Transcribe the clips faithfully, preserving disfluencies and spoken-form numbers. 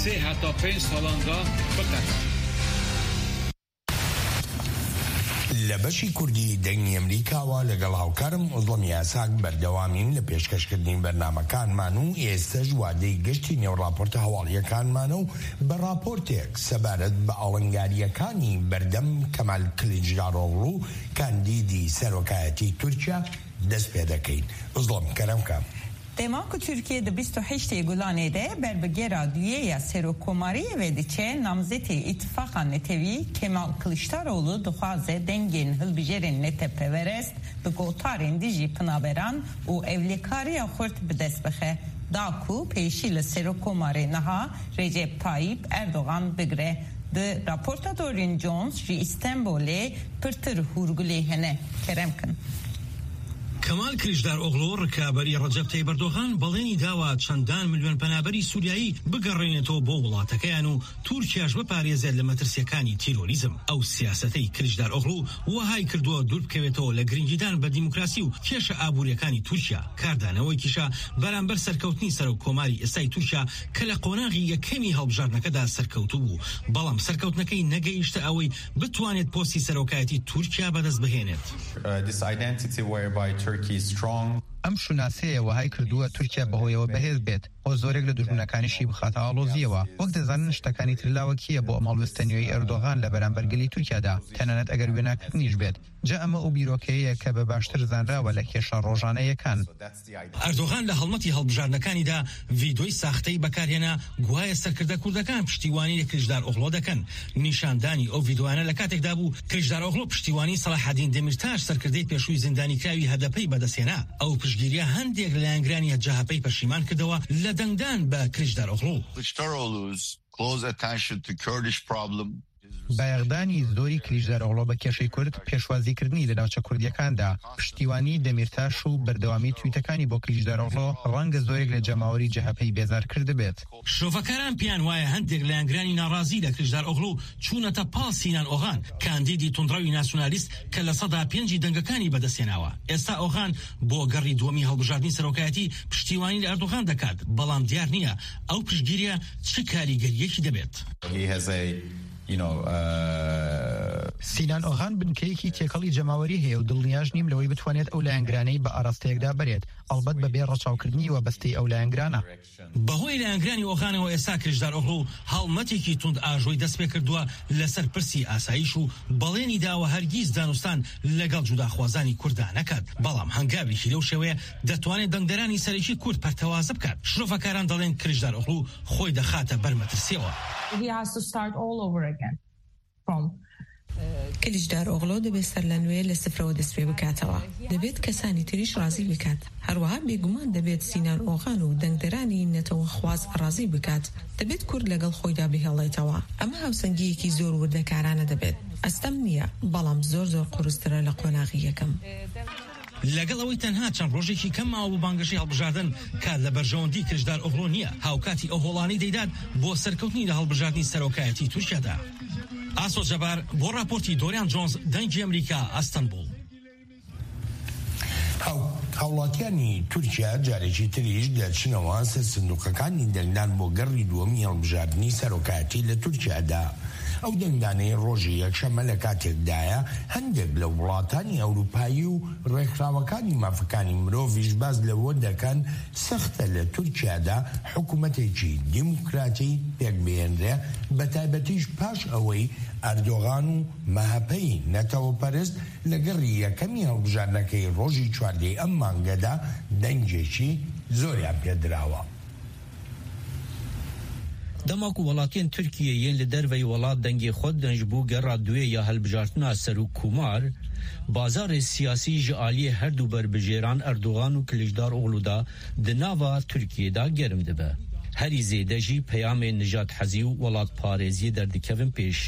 سێ هەتا پێنج ساڵان دا بقەت. لە بەشی کوردی دەنگی ئەمریکاوە لەگەڵ هاوکارم ئۆزڵەم یاساک بەردەوامین لە پێشکەشکردنی بەرنامەکانمان و ئێستەش وادەی گەشتی نێو ڕاپۆرتە هەواڵیەکانمانە و بە ڕاپۆرتێک سەبارەت بە ئاڵنگاریەکانی بەردەم کەمال کلیچدارۆغڵو کاندیدی سەرۆکایەتی تورکیا دەست پێ دەکەین. ئۆزڵەم، کەرەمکە. Dema ku Tirkiye di bîst û heştê Gulanê de ber bi gera duyê ya serokkomariyê ve diçe, namzetê Îtifaqa Netewî Kemal Kiliçdaroglu dixwaze dengên hilbijêrên netepeperest bi gotarên dijî penaberan û ewlekariya xurt bi dest bixe, da ku pêşî li serokkomarê niha Recep Tayyip Erdogan bigire. Di raporta Dorian Jones ji Îstenbolê pirtir hûrgulê hene. Kerem kin. Kemal Kiliçdaroglu, rikaberî Recep Tayyip Erdogan, belênî dawa çendan milyon penaberî Sûriyayî bigerînetewê bo welatekeyan û Tirkiyaş biparêze li metirsiyekani terorîzm. Ew siyasetey Kiliçdaroglu wihay kirduwa dûr bikewetewê li girîngîdan bi demokrasî û kêşa aboriyekani Tirkiya. Kardanewekîşa beramber serkewtinî serokkomarî êstayî Tirkiya ke li qonaxî yekemî hilbijartinekeda serkewtibû, belam serkewtinekey negeyişte ewey bitwanêt postî serokayetî Tirkiya bi dest bihênêt. Uh, this identity whereby Turkey is strong. ئەم شوناسەیە وەهای کردووە تورکیا بەهۆیەوە بەهێز بێت، بۆ زۆرێک لە دوژمنەکانیشی بخاتە ئاڵۆزیەوە. وەک دەزانن، شتەکانی تر لاوەکیە بۆ ئەم هەڵوێستە نوێی ئەردۆغان لە بەرامبەر گەلی تورکیادا، تەنانەت ئەگەر وێناکردنیش بێت. جا ئەمە ئەو بیرۆکەیە کە بە باشتر زانراوە لە کێشە ڕۆژانەیەکان. ئەردۆغان لە هەڵمەتی هەڵبژاردنەکانیدا ڤیدیۆی ساختەی بەکارهێنا، گوایە سەرکردە کوردەکان پشتیوانی لە کلیچدارئۆغلۆ دەکەن. نیشاندانی ئەو ڤیدیۆیانە لە کاتێکدا بوو، کلیچدارئۆغلۆ پشتیوانی سەلاحەدین دەمیرتاش، سەرکردەی پێشووی زیندانیکراوی هەدەپەی بەدەستهێنا. ئەو پشتگیریە هەندێک لە لایەنگرانی جەهەپەی پەشیمان کردەوە لە دەنگدان بە کلیچدارئۆغلۆ. Kılıçdaroğlu's close attention to Kurdish problem. بایەخدانی زۆری کلیچدارئۆغلۆ بە کێشەی کورد، پێشوازیکردنی لە ناوچە کوردیەکاندا، پشتیوانی دەمیرتاش و بەردەوامی تویتەکانی بۆ کلیچدارئۆغلۆ ڕەنگە زۆرێک لە جەماوەری جەهەپەی بێزار کردبێت. شرۆڤەکاران پێیان وایە هەندێک لایەنگرانی ناڕازی لە کلیچدارئۆغلو چوونەتە پاڵ سینان ئۆغان، کاندیدی توندڕەوی ناسیۆنالیست کە لە سەدا پێنجی دەنگەکانی بەدەستهێناوە. ئێستا ئۆغان بۆ گەڕی دووەمی هەڵبژاردنی سەرۆکایەتی پشتیوانی لە ئەردۆغان دەکات، بەڵام دیار نییە ئەو پشتگیریە چ کاریگەریەکی دەبێت. He has a, you know, uh, سینان ئۆغان بنکەیەکی تێکەڵی جەماوەری هەیە و دڵنیاش نیم لەوەی بتوانێت ئەو لایەنگرانەی بە ئاراستەیەکدا بەرێت، ئەڵبەت بەبێ ڕەچاوکردنی وەبەستەی ئەو لایەنگرانە. بەهۆی لایەنگرانی ئۆغانەوە ئێستا کلیچدارئۆغلو هەڵمەتێکی توند ئاژۆی دەست پێ کردووە لەسەر پرسی ئاسایش و بەڵێنی داوە هەرگیز دانوستان لەگەڵ جوداخوازانی کووردا نەکات. بەڵام هەنگاوێکی لەو شێوەیە دەتوانێت دەنگدەرانی سەرەکی کورد پەرتەوازە بکات. شرۆڤەکاران دەڵێن کلیچدارئۆغلو خۆی دەخاتە بەر مەترسیەوە. He has to start all over again from کلیچدارئۆغلۆ دەبێت سەر لە نوێ لە سفرەوە دەست پێ بکاتەوە. دەبێت کەسانی تریش ڕازی بکات. هەروەها بێگومان دەبێت سینان ئۆغان و دەنگدەرانی نەتەوەخواز ڕازی بکات. دەبێت کورد لەگەڵ خۆیدا بهێڵێتەوە. ئەمە هاوسەنگیەکی زۆر وردەکارانە دەبێت. ئەستەم نییە، بەڵام زۆر زۆر قورسترە لە قۆناغی یەکەم. لەگەڵ ئەوەی تەنها چەند ڕۆژێکی کەم ماوە بۆ بانگەشەی هەڵبژاردن، کات لە بەرژەوەندی کلیچدارئۆغلۆ نییە، هاوکاتی ئەو هۆڵانەی دەیدات بۆ سەرکەوتنی لە هەڵبژاردنی سەرۆکایەتی تورکیادا. ئاسۆ جەبار بۆ راپۆرتی دۆریان جۆنز، دەنگی ئەمریکا، ئەستەنبوڵ. هاو-، هاوڵاتیانی تورکیا جارێکی تریش دەچنەوە سەر سندوقەکانی دەنگدان بۆ گەڕی دووەمی هەڵبژاردنی سەرۆکایەتی لە تورکیادا. ئەو دەنگدانەی ڕۆژی یەکشەممە لە کاتێکدایە، هەندێک لە وڵاتانی ئەوروپایی و ڕێکخراوەکانی مافەکانی مرۆڤیش باز لەوە دەکەن سەختە لە تورکیادا حکوومەتێکی دیموکراتی پێک بهێنرێ، بە تایبەتیش پاش ئەوەی ئەردۆغان و مەهەپەی نەتەوەپەرست لە گەڕی یەکەمی هەڵبژاردنەکەی ڕۆژی چواردەی ئەم مانگەدا دەنگێکی زۆریان پێدراوە. Dema ku welatiyên Tirkiyê yên li derveyî welat dengê xwe didin ji bo gera duyê ya hilbijartina serokkomar, bazarê siyasî ji aliyê her du berbijêran Erdogan û Kiliçdaroglu de di nava Tirkiyê de germ dibe. Herî zêde jî peyamên nijathezî û welatparêziyê derdikevin pêş.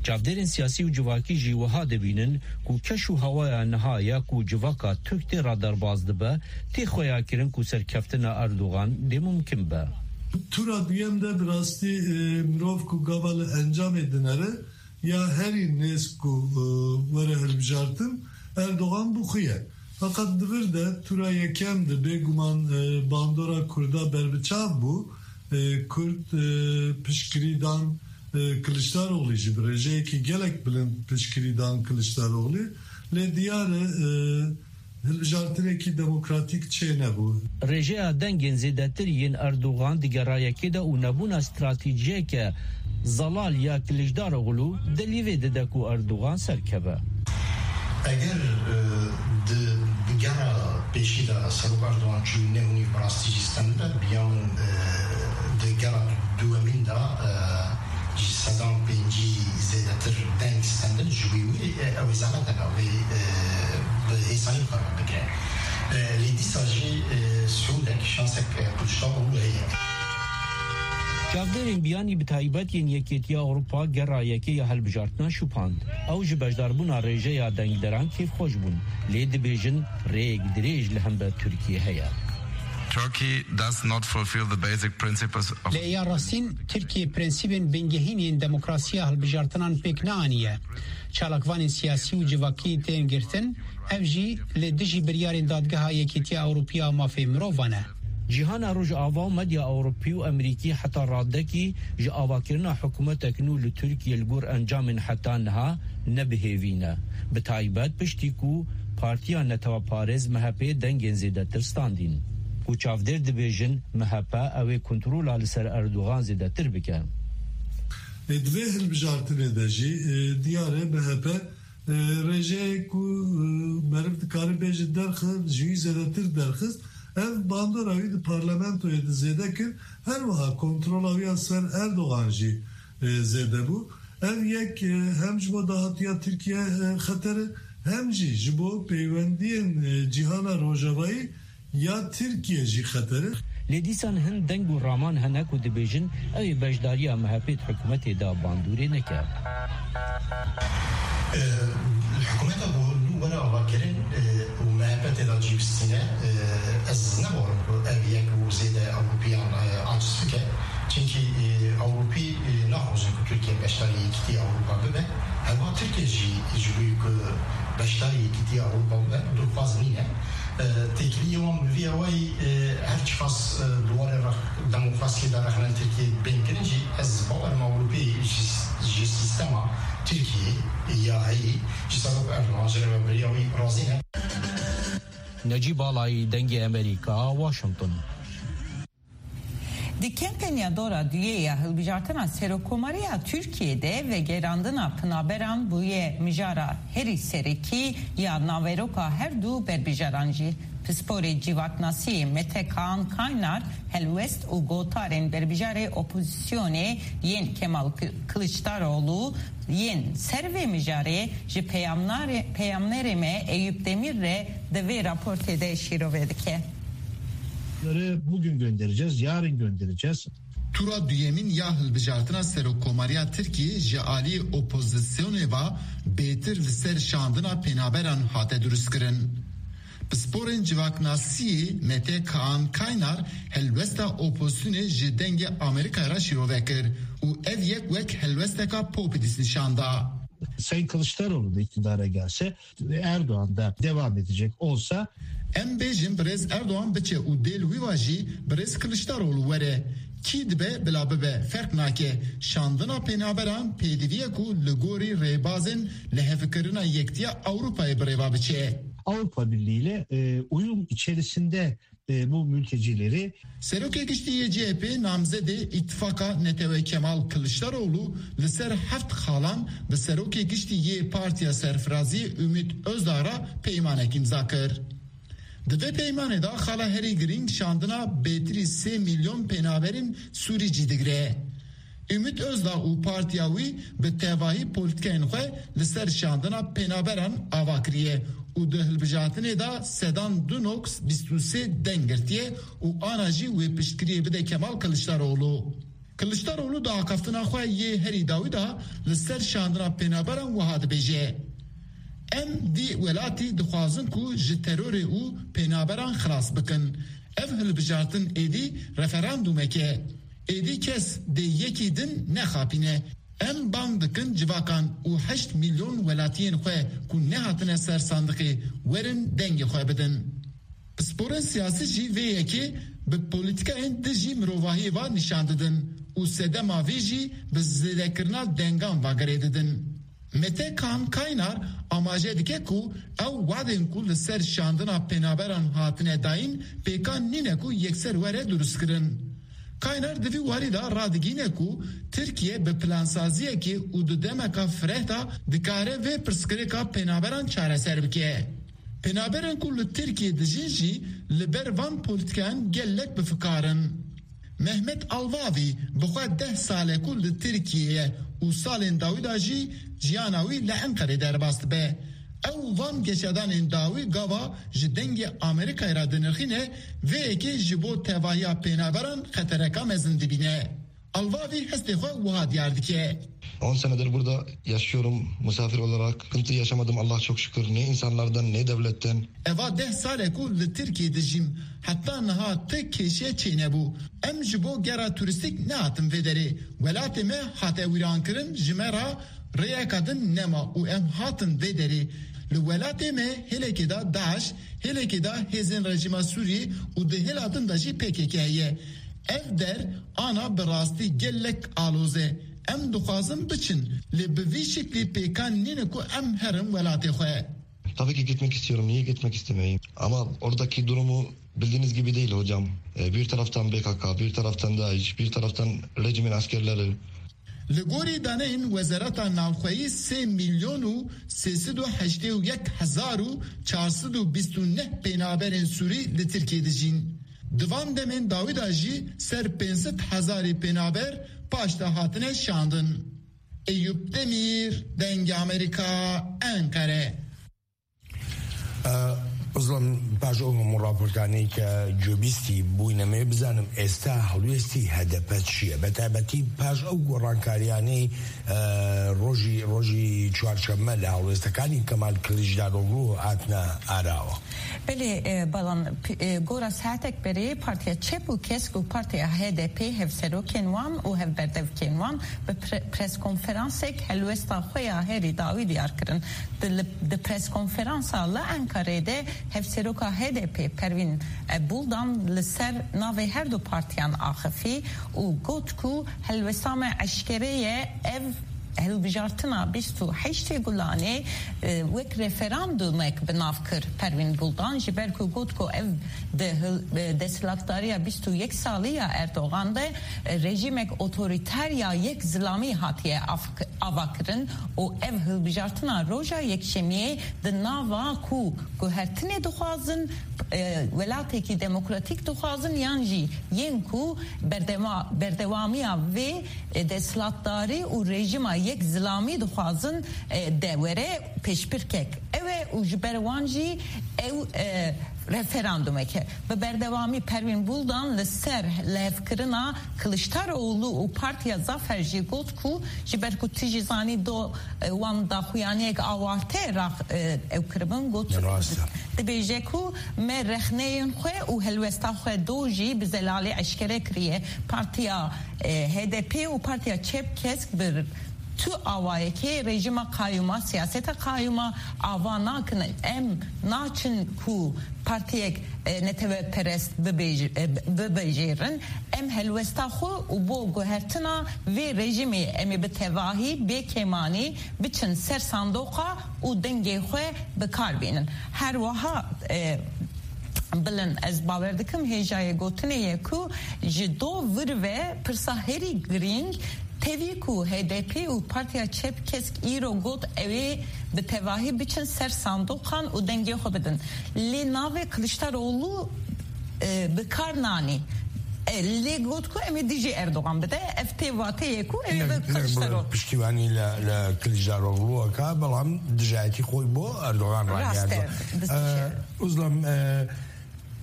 Çavdêrên siyasî û civakî jî wiha dibînin ku keş û hewaya niha ya ku civaka Tirk tê re derbas dibe, tê xweyakirin ku serkeftina Erdogan dê mumkin be. Tura duyem de bi rastî, e, mirov ku gava li encamê dinere ya herî nêz ku, e, were hilbijartin, Erdogan bû xwe ye. Feqet di vir de tura yekem de bêguman, e, bandora Kurda berbiçav bû. E, Kurd, e, piştgirî dan, e, Kiliçdaroglu jî bi rêjeyekî gelek bilind piştgirî dan Kiliçdaroglu. Lê diyar e, e, hilbijartinekî demokratîk çênebû. Rêjeya dengên zêdetir yên Erdogan di gerayekê de û nebûna stratejiyeke zelal ya Kiliçdaroglu delîvê dide ku Erdogan serkeve. Eger, e, di, di gera pêşî de Serok Erdogan çû neh û nîv bi rastî jî stend be, bi ya min, e, di gera duwemîn de, e, ji sedan pêncî zêdetir deng stendin, ji wî wî, e, ew ê zehmet hebe, wê, e, bi hêsanî xwe bikire. E, lê dîsa jî, e, sûlek, şansek, e, Kiliçdaroglu heye. Çavdêrên biyanî bi taybet yên Yekêtiya Ewropa gera yekê ya hilbijartina şupand. Ew ji beşdarbûna rêjeya dengderan kêfxweş bûn, lê dibêjin rêyek dirêj li hember Tirkiyê heye. Turkey does not fulfill the basic principles of Lê ya rastîn, Tirkiye prensîbên bingehîn yên demokrasiya hilbijartinan pêk neaniye. Çalakvanên siyasî û civakî tên girtin, ev jî li dijî biryarên Dadgeha Yekîtiya Ewropî ya Mafê Mirovan e. Cîhana Rojava û medya Ewropî û Amerîkî heta radekî ji avakirina hikûmetek nû li Tirkiye li gor encamên heta niha ne bi hêvî ne. Bi taybet piştî ku Partiya Neteweparêz M H P dengên zêdetir standîn. Ku çavdêr dibêjin M H P ew ê kontrola li ser Erdogan zêdetir bike. Ê, di vê hilbijartinê de jî, ê, diyar e M H P, ê, rêjeyê ku, ê, meriv dikare bêje derxe, ji wî zêdetir derxist. Ev bandora wî di parlamentoyê de zêde kir. Her wiha kontrola wî ya ser Erdogan jî, ê, zêde bû. Ev yek, ê, hem ji bo dahatiya Tirkiye, ê, xeter e, hem jî ji bo peywendiyên, ê, cîhana rojavayî ya Tirkiye jî xeter e. Lê dîsan hin deng û raman hene ku dibêjin ew ê beşdariya M H P di hikûmetê de bandorê neke. E, hikûmeta ku nû were avakirin, e, û M H P tê de cî bistîne, e, ez ne bawerim ku ev yek û zêde Ewropiyan, e, aciz bike. Çimkî, e, Ewropî, e, naxwazin ku Tirkiye beşdarî Yekîtiya Ewropa bibe. Herwiha Tirkiye jî ji bo ku beşdarî Yekîtiya Ewropa bibe, dilxwaz nîne. E, têkiliyê wan bi vî awayî, e, her çiqas, e, di warê re-, demokrasiyê de rexne li Tirkiyê bên kirin jî, ez bawer im Ewropî ji, ji sîstema Tirkiyê ya heyî, ji Serok Erdogan, ji rêvebiriya wî razî ne. Necîb Alayî, Dengê Amerîka, Washington. Di kampanya dora duyê ya hilbijartina Serokkomariya Tirkiyê de vegerandina penaberan bûye mijara herî serekî ya naveroka her du berbijaran jî. Pisporê civaknasiyê Mete Kaan Kaynar helwest û gotarên berbijarê opozisyonê yên Kemal Kı-, Kılıçdaroğlu yên ser vê mijarê ji peyamnarê-, peyamnerê me Eyüp Demir re di vê raportê de şîrove dike. Bunları bugün göndereceğiz, yarın göndereceğiz. Tura duyemîn ya hilbijartina Serokkomariya Tirkiyê ji alî opozisyonê ve bêtir li ser şandina pênaberan hate dirustkirin. Pisporên civaknasiyê Mete Kaan Kaynar helwesta opozisyonê ji Dengê Amerîkayê re şîrove kir û ev yek wek helwesteka populîst nîşan da. Sayın Kılıçdaroğlu da iktidara gelse, Erdoğan da devam edecek olsa. Em bêjin birêz Erdoğan biçe û dê li wî va jî birêz Kiliçdaroglu were. Kî dibe bila bibe ferq nake. Şandina pênaberan pêdivî ye ku li gorî rêbazên lihevkirina Yektiya Ewropayê bi rê ve biçe. Avrupa Birliği ile, e, uyum içerisinde, e, bu mültecileri Serokê Giştî yê C H P namzedê Îttifaka Netewe Kemal Kiliçdaroglu li ser heft xalan bi Serokê Giştî yê Partiya Serfiraziyê Ümit Özdağ re peymanek îmza kir. Di vê peymanê de xala herî girîng şandina bêtirî sê milyon pênaberên Sûrî cî digire. Ümit Özdağ û partiya wî bi tevahî polîtîkayên xwe li ser şandina pênaberan ava kiriye û di hilbijartinê de sedan du noks bîst û sê deng girtiye û ana jî wê piştgiriyê bide Kemal Kiliçdaroglu. Kiliçdaroglu di axaftina xwe yê herî dawî de li ser şandina pênaberan wiha dibêje, Em dî welatî dixwazin ku ji terorê û pênaberan xilas bikin. Ev hilbijartin êdî referandûmek e. Êdî kes dê yekî din nexapîne. Em bang dikin civakan û heşt milyon welatiyên xwe ku nehatine ser sandiqê werin dengê xwe bidin. Pisporên siyasî jî vê yekê Bi polîtîkayên dijî mirovahiyê ve nîşan didin û sedema vê jî bi zêdekirina dengan ve girê didin. Mete Kaan Kaynar amaje dike ku ew wadên ku li ser şandina penaberan hatine dayîn pêkan nîne ku yekser were durustkirin. Kaynar di vî warî de radigihîne ku Tirkiye bi plansaziyekê û di demeka fireh de dikare vê pirsgirêka penaberan çareser bike. Penaberên ku li Tirkiyê dijîn jî li ber van polîtîkayan gelek bi fikar in. Mehmet Alvavî bi xwe deh sal e ku li Tirkiyê ye û salên dawî de jî jiyana wî li Enqerê derbas dibe. Ew van geşedanên dawî gava ji Dengê Amerîkayê re dinirxîne, vê yekê ji bo tevahiya pênaberan xetereka mezin dibîne. Alvavî hestê xwe wiha diyar dike. On senedir burada yaşıyorum misafir olarak. Sıkıntı yaşamadım, Allah çok şükür. Ne insanlardan ne devletten. Eva deh sal e ku li Tirkiyê dijîm. Heta niha ti kêşe çênebû. Em ji bo gera turîstîk nehatin vê derê. Welatê me hate wîrankirin, ji me re rêyeka din nema û em hatin vê derê. Li welatê me hêlekê de DAIŞ, hêlekê de hêzên rejîma Sûriyê û di hêla din de jî P K K heye. Ev der ana bi rastî gelek aloz e. Em dixwazin biçin, lê bi vî şiklî pêkan nîne ku em herin welatê xwe. Tabii ki gitmek istiyorum. Niye gitmek istemeyeyim? Ama oradaki durumu bildiğiniz gibi değil hocam. E, bir taraftan P K K, bir taraftan DAIŞ, bir taraftan rejimin askerleri. Li gorî daneyên Wezareta Navxweyî sê milyon û sê sed û heştê û yek hezar û çar sed û bîst û neh pênaberên Sûrî li Tirkiyê dijîn. Di van demên dawî de jî ser pênc sed hezarî pênaber paş de hatine şandin. Eyûp Demîr, Dengê Amerîka, Enqere. Bizlim paş ew hemû raportanê ke cobîstî bûyne me bizanim êsta helwêstî H D P çi ye? Bi taybetî paş ew gorankariyanê rojî rojî çarşeme li helwêstekaniy Kemal Kiliçdaroglu hatine arawa. Belê, e, balan, e, gora saetek berê Partiya Çep û Kesk û Partiya H D P hevserokên wan û hevberdevkên wan bi pre- preskonferansek helwesta xwe ya herî dawî diyar kirin. Di, li- di preskonferansa li Enkarê de hevseroka H D P Pervîn, e, Buldan li ser navê her du partiyan axifî û got ku helwesta me eşkere ye, ev hilbijartina bîst û heştê Gulanê, e, wek referandumek bi nav kir Pervîn Buldan, ji ber ku got ku ev di hil- e, desthilatdariya bîst û yek salî ya Erdogan de, e, rejîmek otorîter ya yek zilamî hatiye av- ava kirin û ev hilbijartina roja Yekşemiyê di nava ku guhertinê dixwazin, e, welatekî demokratîk dixwazin yan jî yên ku berdema- berdewamiya vê e, desthilatdarî û rejîma yek zilamî dixwazin, e, de were pêşbirkek. Ew e û ji ber wan jî ew, e, referandumek e. Bi berdewamî Pervîn Buldan li ser lihevkirina Kiliçdaroglu û Partiya Zafer jî got ku ji ber ku tu jî zanî do, e, wan daxuyaniyek awarte rax, e, ew kiribin, got, dibêje ku me rexneyên xwe û helwesta xwe do jî bi zelalî eşkere kiriye. Partiya, e, H D P û Partiya Çep Kesk bi tu awayekê rejîma qayûma, siyaseta qayûma ava nakin. Em naçin ku partiyek, e, neteweperest bibêj- e, bibijêrin. Em helwesta xwe û bo guhertina vê rejîmê em ê bi tevahî bê kêmanî biçin ser sandoqa û dengê xwe bi kar bînin. Her wiha, e, Bilin, ez bawer dikim hêjayê gotinê ye ku ji do vir ve pirsa herî girîng tevî ku H D P û Partiya Çep Kesk îro got ew ê bi tevahî biçin ser sandoqan û dengê xwe bidin. Lê navê Kiliçdaroglu, e, bi kar nanî. E, lê got ku em ê dijî Erdogan bide. Ev tê vatê ye ku ew ê bi Kiliçdaroglu. Piştîvanî li, li Kiliçdaroglu aka, belam dijayetî xwe bo Erdogan ragihand. Rast e. Uzlam, e,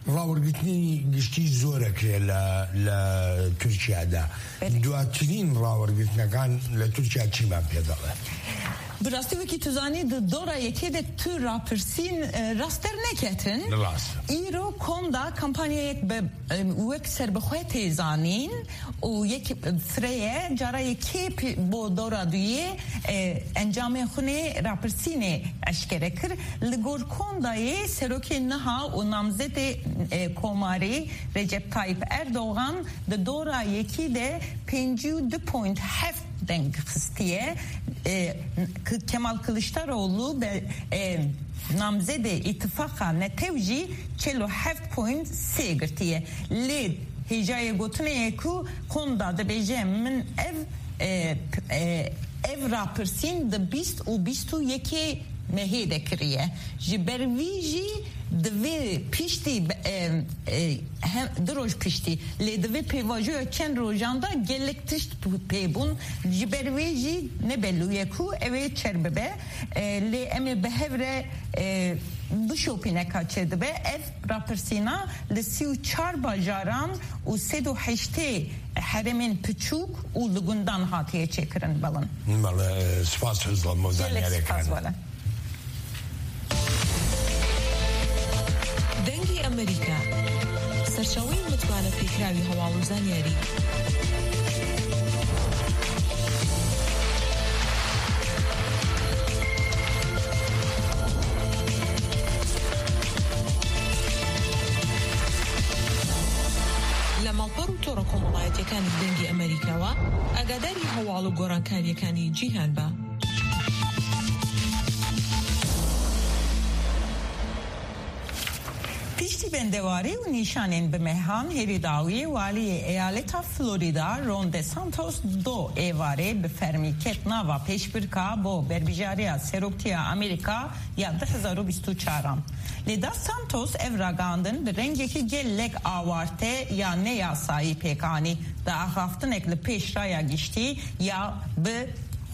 rawirgirtinî giştî zorek heye li, li Tirkiye de. Belê. Duatirîn rawirgirtinekan li Tirkiye çîman pê dixin? Bi rastî wekî tu zanî di dora yekê de tu rapirsîn, e, rast derneketin. Rast. Îro konda kampanyayek bi, e, wek serbixwe tê zanîn û yek fireye cara yekê pi-, bo dora duyê, e, encamên xwinê rapirsînê eşkere kir. Li gor kondayê serokê niha û namzedê, e, komarî Recep Tayyip Erdogan di dora yekî de pêncî û du point heft deng xistiye. E, K-, Kemal Kılıçdaroğlu be, e, namzedê îtifaqa netew jî çil û heft point sê girtiye. Lê hêjayê gotinê ye ku konda dibêje, min ev, e, p-, e, ev rapirsîn di bîst û bîst û yekê mehê de kiriye. Ji ber vî jî divê piştî, e, e, hem, du roj piştî, lê di vê pêvajoya çend rojan de gelek tişt pê bûn. Ji ber wê jî ne belû ye ku ew ê çer bibe. E, lê em ê bi hev re, e, bişopîne ka çi dibe. Ev rapirsîna li sî û çar bajaran û sed û heştê herêmên piçûk û li gundan hatiye çêkirin, belin. Bele, spas Hizla, Gelek zaniyarê spas, kan. Belin. دەنگی ئەمریکا، سەرچاوەی متمانە پێکراوی هەواڵ و زانیاری. لە ماڵپەڕ و تۆڕە کۆمەڵایەتیەکانی دەنگی ئەمریکاوە ئاگاداری هەواڵ و گۆڕانکاریەکانی جیهان بە. Piştî bendewarî û nîşanên bi mehan hêrî dawiyê waliyê eyaleta Florida Ron DeSantos do êvarê bi fermî ket nava pêşbirka bo berbijariya seroktiya Amerîka ya du hezar û bîst û çaran. Lê DeSantos ev ragihandin bi rengekî gelek awarte ya neyasayî pêk anî. Di axaftinek li pêş raya giştî ya bi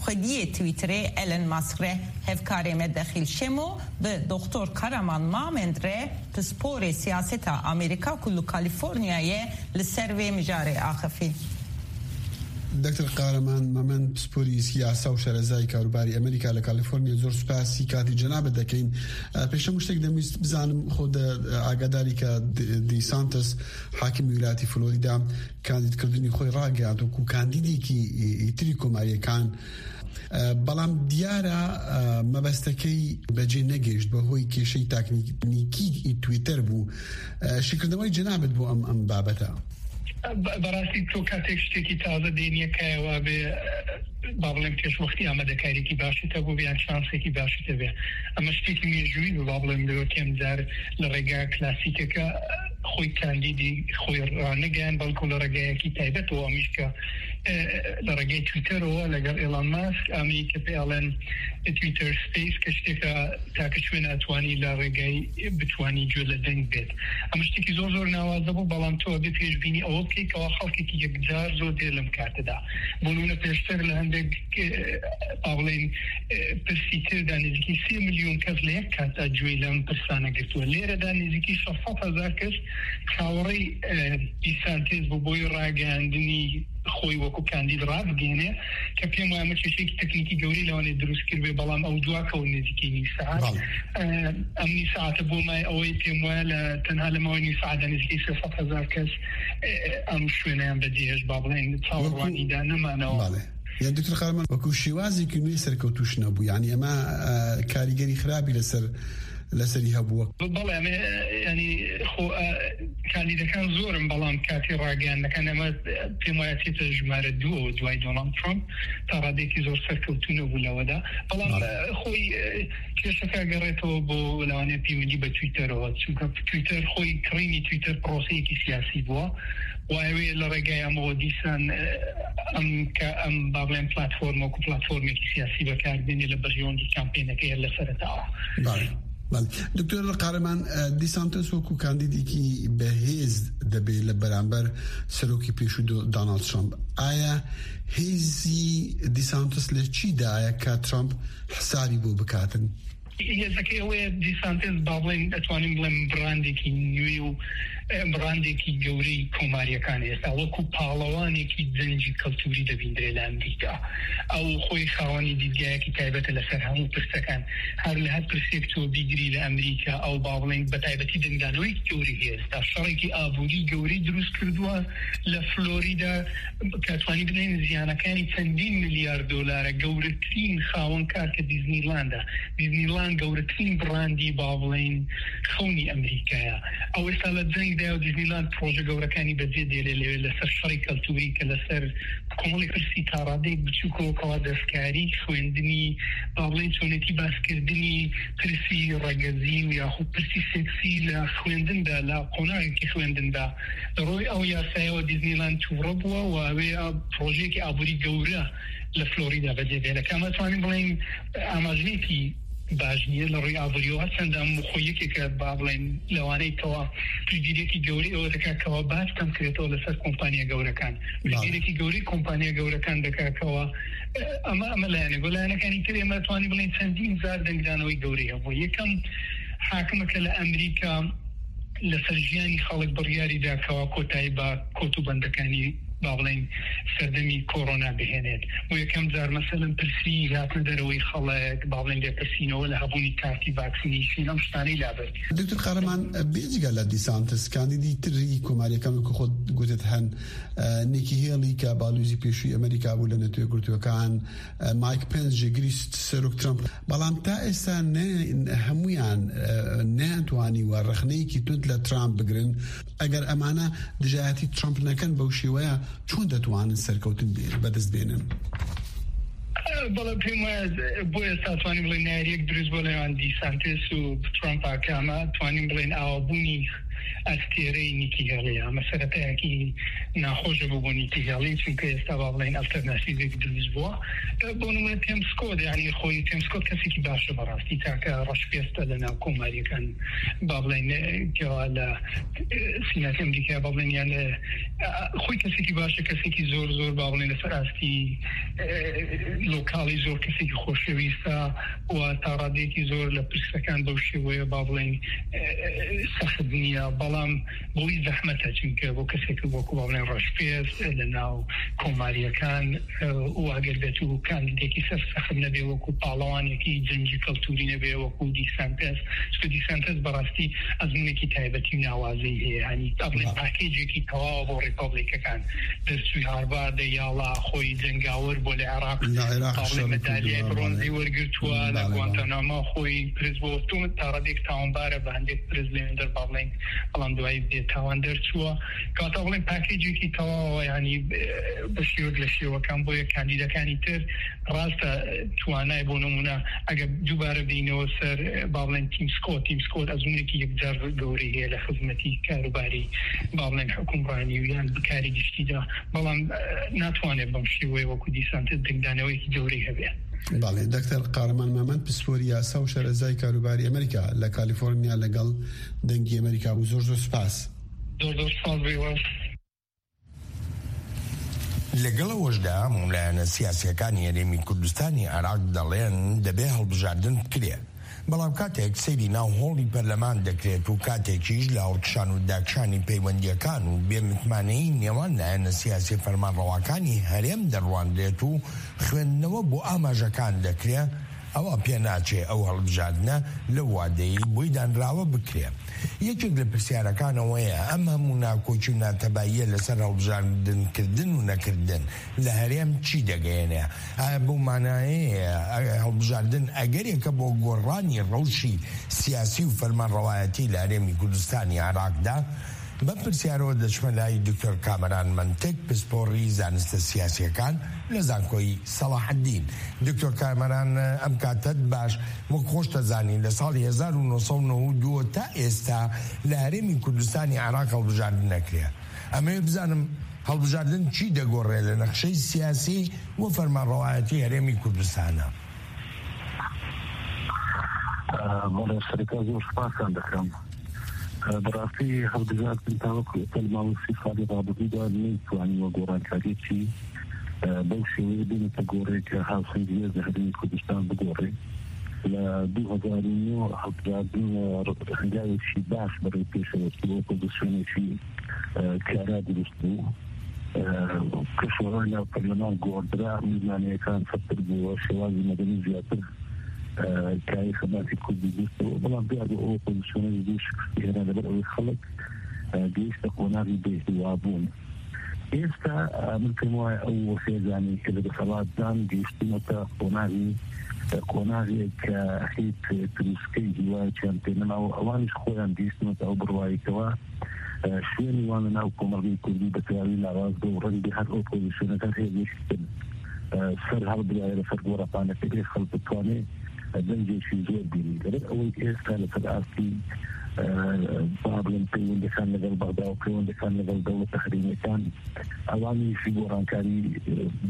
xwediyê Twitterê Elon Musk re, hevkarê me Dexîl Şemo bi Doktor Karaman Mamend re pisporê siyaseta Amerîka ku li Kalîforniya ye li ser vê mijarê axifî. Doktor Kahraman Mamen, pisporî siyasa û şerezayî karûbarî Amerîka li Kalîforniya, zor spasî katî cenabê dekeyin. E, pêşem tiştek demwîst bizanim, xwe de, e, agadarî ke D-, DeSantis, hakimî wîlayetî Florida, kandîdkirdinî xwe ragihand wekû kandîdekî, e, îtirî komariyê kan. E, بەڵام دیارە، e, مەبەستەکەی بەجێ نەگەیشت بەهۆی کێشەی تاکنیکی تویتەر بوو. E, شیکردنەوەی جەنابەت بۆ ئەم، ئەم بابەتە. بە-، بەڕاستی تۆ کاتێک شتێکی تازە دێنیە کایەوە بێ، با بڵێم پێشوەختی ئامادەکاریەکی باشت هەبوو بێ یان چانسێکی باشت هەبێ. ئەمە شتێکی مێژووی بوو، با بڵێم لەوە کێم جار لە ڕێگا کلاسیکەکە خۆی کاندیدی خۆی ڕانەگەیان، بەڵکو لە ڕێگایەکی تایبەتەوە، ئەمیش کە، ئێ، لە ڕێگای تویتەرەوە لەگەڵ ئێلان ماسک، ئەمەی کە پێ ئەڵێن تویتەر سپەیس، کە شتێکە تاکە شوێن ئەتوانی لە ڕێگای بتوانی گوێ لە دەنگ بێت. ئەمە شتێکی زۆر زۆر ناوازە بوو، بەڵام تۆ ئەبێ پێشبینی ئەوە بکەیت کەوا خەڵکێکی یەکجار زۆر دێر لەم کاتەدا. بۆ نمونە پێشتر لە هەندێک، ئێ، با بڵێن، ئێ، پرسی تردا نزیکی سێ ملیۆن کەس لە یەک کاتدا گوێی لەم پرسانە گرتووە. لێرەدا نزیکی شەش سەد هەزار کەس چاوەڕێی، ئێ، دیسانتێز بوو بۆی ڕاگەیاندنی خۆی وەکو کاندید ڕابگەێنێ، کە پێم وایە ئەمە کێشەیەکی تەکنیکی گەورەی لەوانێ دروست کرد بێ، بەڵام ئەو دوا کەون نزیکی نی سەعات. بەڵێ. ئە، ئەم نی سەعاتە بۆ مای ئەوەی پێم وایە لە تەنها لە ماوەی نی سەعاتدا نزیکی سێ سەد هەزار کەس، ئێ، ئەم شوێنەیان بەجێهێشت، با بڵێن، چاوەڕوانیدا نەمانەوە. بەڵێ. یان دکتۆر قارەمان، وەکو شێوازێکی نوێ سەرکەوتوش نەبوو. یعنی ئێمە، ئە، کاریگەری خراپی لەسەر، لەسەری هەبووە. بەڵێ، ئەمێ، یعنی خۆ، ئە، کاندیدەکان زۆرن، بەڵام کاتی ڕاگەیاندنەکان ئەمە پێم وایە چێتە ژمارە دووەوە دوای دۆناڵد ترامپ، تا ڕادێکی زۆر سەرکەوتوو نەبوو لەوەدا. بەڵام، بەڵێ. ئە، خۆی، ئە، کێشەکە گەڕێتەوە بۆ لەوانەیە پەیوەندی بە تویتەرەوە، چونکە تویتەر خۆی، کڕینی تویتەر پرۆسەیەکی سیاسی بووە. و ئەوێ لە ڕێگای ئەمەوە دیسان، ئە، ئەم کە ئەم با بڵێن پلاتفۆرمە وەکو پلاتفۆرمێکی سیاسی بەکاردێنێ لە بەرژەوەندی کامپێنەکەی هەر لە سەرەتاوە. بەڵێ. بەڵێ. دکتۆر قارەمان، ئە، دیسانتۆس وەکو کاندیدێکی بەهێز دەبێ لە بەرامبەر سەرۆکی پێشوو دۆ-، دۆناڵد ترامپ. ئایا هێزی دیسانتۆس لە چیدایە کە ترامپ حسابی بۆ بکاتن؟ هێزەکەی ئەوەیە دیسانتێز، با بڵێن، ئەتوانین بڵێن براندێکی نوێ و براندێکی گەورەی کۆماریەکان ئێستا وەکو پاڵەوانێکی جەنگی کەلتوری دەبیندرێ لە ئەمریکا. ئەو خۆی خاوەنی دیدگایەکی تایبەتە لەسەر هەموو پرسەکان. هەر لە هەر پرسێک تۆ بیگری لە ئەمریکا، ئەو با بڵێن بە تایبەتی دەنگدانەوەی گەورەی هێستا شەڕێکی ئابووری گەورەی دروست کردووە لە فلۆریدا، کە توانی بڵێن زیانەکانی چەندین ملیار دۆلارە. گەورەترین خاوەن کار کە دیزنیلاندە، دیزنیلاند گەورەترین براندی با بڵێن خەونی ئەمریکایە. ئەو ئێستا لە جەنگدا و دیزنیلاند پرۆژە گەورەکانی بەجێ دێلێ لەوێ لەسەر شەڕی کەلتوری کە لەسەر کۆمەڵی پرسی تا ڕادەیەک بچووکەوە کەوا دەستکاری خوێندنی با بڵێن چۆنێتی باسکردنی پرسی ڕەگەزی و یاخود پرسی سێکسی لە خوێندندا، لە قۆناغێکی خوێندندا لە ڕۆی ئەو یاسایەوە دیزنیلاند تووڕە بووە و ئەوێ پرۆژێکی ئابووری گەورە لە فلۆریدا بەجێ بێ لە کامە توانین بڵێن ئاماژەیەکی باش نییە لە ڕووی ئابووریەوە، هەرچەندە ئەم خۆ یەکێکە با بڵێن لەوانەی کەوا پشتگیریەکی گەورەی ئەوە دەکات کەوا باز کەم کرێتەوە لەسەر کۆمپانیا گەورەکان. پشتگیرێکی گەورەی کۆمپانیا گەورەکان دەکات کەوا ئەمە ئەمە لایەنێک و لایەنەکانی تر ئێمە توانی بڵێن چەندین جار دەنگدانەوەی گەورەی هەبوو. یەکەم حاکمە کە لە ئەمریکا لەسەر ژیانی خەڵک بڕیاری داکەوە کۆتایی بە کۆت و بەندەکانی با بڵێن سەردەمی کۆرۆنا بهێنێت. بۆ یەکەم جار مەسەلەن پرسی هاتنە دەرەوەی خەڵک با بڵێن لێپرسینەوە لە هەبوونی کارتی ڤاکسینیشن ئەم شتانەی لابرد. دکتر قارەمان، بێجگە لە دیسانتس کاندیدی تری کۆماریەکان وەکو خۆت گوتت هەن، نیکی هێڵی کە باڵوزی پێشووی ئەمریکا بوو لە نەتوێ گرتوەکان، مایک پێنس جێگری سەرۆک ترامپ، بەڵام تا ئێستا هەمویان نەیانتوانی وە ڕخنەیەکی تند لە ترامپ بگرن. ئەگەر ئەمانە دژایەتی ترامپ نەکەن بەو شێوەیە چۆن دەتوانن سەرکەوتن بەدەست بێنن؟ بەڵێ پێم وایە بۆ ئێستا توانین بڵێن ناریەک دروست بۆ لەوان دیسانتێس و ترامپ ئاکامە توانین بڵێن ئاوابوونی ئەستێرەی نیکی هێڵی ئەمە سەرەتایەکی ناخۆشە بۆ بۆ نیکی هێڵی، چونکە ئێستا با بڵێن ئەلتەرناتیڤێک دروست بووە. بۆ نمونە تێم سکۆت، یعنی خۆی تێم سکۆت کەسێکی باشە بەڕاستی، تاکە ڕەشپێستە لە ناو کۆماریەکان با بڵێن کەوا لە سیناتی ئەمریکا با بڵێن یان خۆی کەسێکی باشە، کەسێکی زۆر زۆر با بڵێن لەسەر ئاستی لۆکاڵی زۆر کەسێکی خۆشەویستە و تا ڕادەیەکی زۆر لە پرسەکان بەو شێوەیە با بڵێن سەخت نییە. بەڵام بۆی زەحمەتە، چونکە بۆ کەسێک وەکو با بڵێن ڕەشپێست لە ناو کۆماریەکان و ئەگەر بێت و کاندیدێکی سەر سەخت نەبێ، وەکو پاڵەوانێکی جەنگی کەلتوری نەبێ وەکو دیسانتەس، چونکە دیسانتەس بەڕاستی ئەزمونێکی تایبەتی و ناوازەی هەیە، هەنی تا بڵێن پاکێجێکی تەواوە بۆ ڕیپابلیکەکان. دەرچووی هارڤاردە، یاڵا خۆی جەنگاوەر بۆ لە عێراق، تا بڵێن مەدالیای برۆنزی وەرگرتووە، لە گوانتاناما خۆی پرس بۆ تۆمەت تا ڕادێک تاوانبارە بە هەندێک پرس لێندەر با بڵێن، بەڵام دوایی بێ تاوان دەرچووە. کەواتە بڵێن پاکێجێکی تەواوە، یعنی بە شێوەک لە شێوەکان بۆیە کاندیدەکانی تر ڕاستە توانای بۆ نمونە ئەگەر دووبارە بینەوە سەر با بڵێن تیم سکۆت، تیم سکۆت ئەزمونێکی یەکجار گەورەی هەیە لە خزمەتی کاروباری با بڵێن حکومڕانی و یان بکاری گشتیدا، بەڵام ناتوانێت بەم شێوەیە وەکو دیسانتە دەنگدانەوەیەکی گەورەی هەبێت. بەڵێ دکتۆر قارەمان مامەند، پسپۆری یاسا و شەرەزای کاروباری ئەمریکا لە کالیفۆرنیا لەگەڵ دەنگی ئەمریکا بوو. زۆر زۆر سپاس. زۆر زۆر سپاس بێ وەست. لەگەڵ ئەوەشدا هەموو لایەنە سیاسیەکانی هەرێمی کوردستانی عێراق دەڵێن دەبێ هەڵبژاردن بکرێ، بەڵام کاتێک سەیری ناو هۆڵی پەرلەمان دەکرێت و کاتێکیش لە هەڵکشان و داکشانی پەیوەندیەکان و بێ متمانەیی نێوان لایەنە سیاسی فەرمانڕەواکانی هەرێم دەڕوانرێت و خوێندنەوە بۆ ئاماژەکان دەکرێ، ئەوە پێ ناچێ ئەو هەڵبژاردنە لەو وادەی بۆی دانراوە بکرێ. یەکێک لە پرسیارەکان ئەوەیە ئەم هەموو ناکۆکی و ناتەباییە لەسەر هەڵبژاردنکردن و نەکردن لە هەرێم چی دەگەیەنێ؟ ئایا بەو مانایەیە هەڵبژاردن ئەگەرێکە بۆ گۆڕانی ڕەوشی سیاسی و فەرمانڕەوایەتی لە هەرێمی کوردستانی عێراقدا؟ بەم پرسیارەوە دەچمە لای دکتۆر کامەران مەنتک، پسپۆڕی زانستە سیاسیەکان لە زانکۆی سەڵاحەدین. دکتۆر کامەران، ئەم کاتەت باش، وەک خۆش دەزانی لە ساڵی هەزار و نۆ سەد و نەوەد و دوو تا ئێستا لە هەرێمی کوردستانی عێراق هەڵبژاردن نەکرێ. ئەمەوێ بزانم هەڵبژاردن چی دەگۆڕێ لە نەخشەی سیاسی و فەرمانڕەوایەتی هەرێمی کوردستانە؟ بەڵێ، سەرەتا زۆر سپاسان دەکەم. بەڕاستی هەڵبژاردن تاوەکو ئێستا لە ماوەی سی ساڵی ڕابردوودا نەیتوانیوە گۆڕانکاریەکی بەو شێوەیە بێنێتە گۆڕێ کە هاوسەنگیە لە هەرێمی کوردستان بگۆڕێ. لە دوو هەزار و نۆ هەڵبژاردن هەنگاوێکی باش بەڕێ پێشەوە چوو، ئۆپۆزیسیۆنێکی کارا دروست بوو کە شۆڕای ناو پەرلەمان گۆڕدرا، میزانەکان سەختتر بووە، شێوازی مەدەنی زیاتر کاری خەباتی کوردی دروست بوو، بەڵام دیار بوو ئەو ئۆپۆزیسیۆنە دوو شکستی هێنا لەبەر ئەوەی خەڵک گەیشتە قۆناغی بێهیوابوون. ئێستا من پێم وایە ئەو هێزانەی کە لە دەسەڵاتدان گەیشتوونەتە قۆناغی قۆناغێک کە هیچ تروسکەی هیوایەکیان پێ نەماوە، ئەوانیش خۆیان گەیشتوونەتە ئەو بڕوایەکەوە شوێنی وان لە ناو کۆمەڵگەی کوردی بە تەواوی لاواز بوو و ڕەنگبێ هەر ئۆپۆزیسیۆنەکە هەر هێزێکی تر سەر هەڵبدایە لەسەر گۆڕەپانەکە بێ خەڵک بتوانێ دەنگێکی زۆر بینی. لەبەر ئەوەی ئێستا لەسەر ئاستی با بڵێن پەیوەندەکان لەگەڵ بەغدا و پەیوەندەکان لەگەڵ دەوڵەتە هەرێمیەکان ئەوانیشی گۆڕانکاری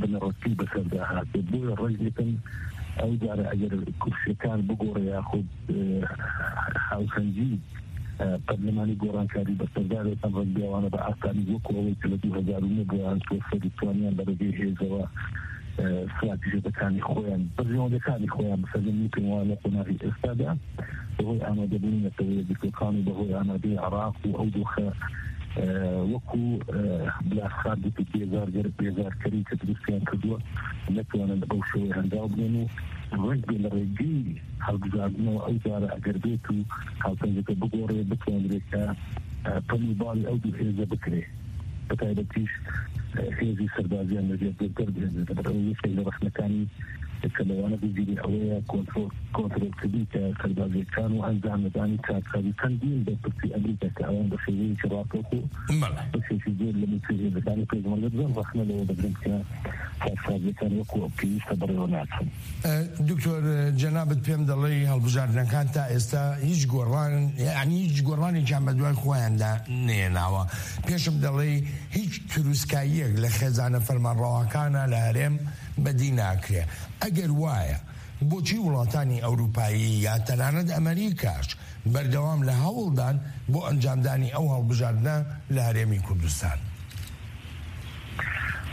بنەڕەتی بەسەردا هاتێ. بۆیە ڕەنگێکن ئەو جارە ئەگەر کورسیەکان بگۆڕێ یاخود هاوسەنگی پەرلەمانی گۆڕانکاری بەسەردا بێتن، ڕەنگبێ ئەوانە بە ئاسانی وەکو ئەوەی کە لە دوو هەزار و نۆ بۆیان چووە سەر توانیان لە ڕێگەی هێزەوە استراتیژیەتەکانی خۆیان، بەرژەوەندەکانی خۆیان بسەلمێنن. پێم وایە لە قۆناغی ئێستادا بەهۆی ئامادەبوونی نەتەوە یەکگرتووەکان و بەهۆی ئامادەی عێراق و ئەو دۆخە وەکو بلاسخان گوتی بێزارگەر بێزارکەری کە دروستیان کردووە نەتوانن بەو شێوەیە هەنگاو بنێن و ڕەنگبێ لە ڕێگەی هەڵبژاردنەوە ئەو جارە ئەگەر بێت و هاوسەنگەکە بگۆڕێ بتوانرێت کە پەل و باڵی ئەو دوو هێزە بکرێ، بە تایبەتیش هێزی سەربازیان لەژێر دەربهێنێت. لەبەر ئەوەی یەکێک لە ڕەخنەکانی کە لەوانە بگیری ئەوەیە کۆنترۆل کۆنترۆلکردنی کە سەربازیەکان و ئەنجامدانی کارکاری چەندین بەرپرسی ئەمریکا کە ئەوان بە شێوەیەکی ڕاستەوخۆ بەشێکی زۆر لە موچەی هێزەکانی پێشمەرگە بزان ڕەخنە لەوە دەگرن کە کارسازیەکان وەکو پێویستە بەڕێوە ناچن. دکتۆر، جەنابت پێم دەڵێ هەڵبژاردنەکان تا ئێستا هیچ گۆڕان، یعنی هیچ گۆڕانێکیان بە دوای خۆیاندا نێناوە. پێشم دەڵێ هیچ تروسکاییەک لە خێزانە فەرمانڕەواکانە لە هەرێم بەدی ناکرێ. ئەگەر وایە، بۆچی وڵاتانی ئەوروپایی یا تەنانەت ئەمریکاش بەردەوام لە هەوڵدان بۆ ئەنجامدانی ئەو هەڵبژاردنە لە هەرێمی کوردستان؟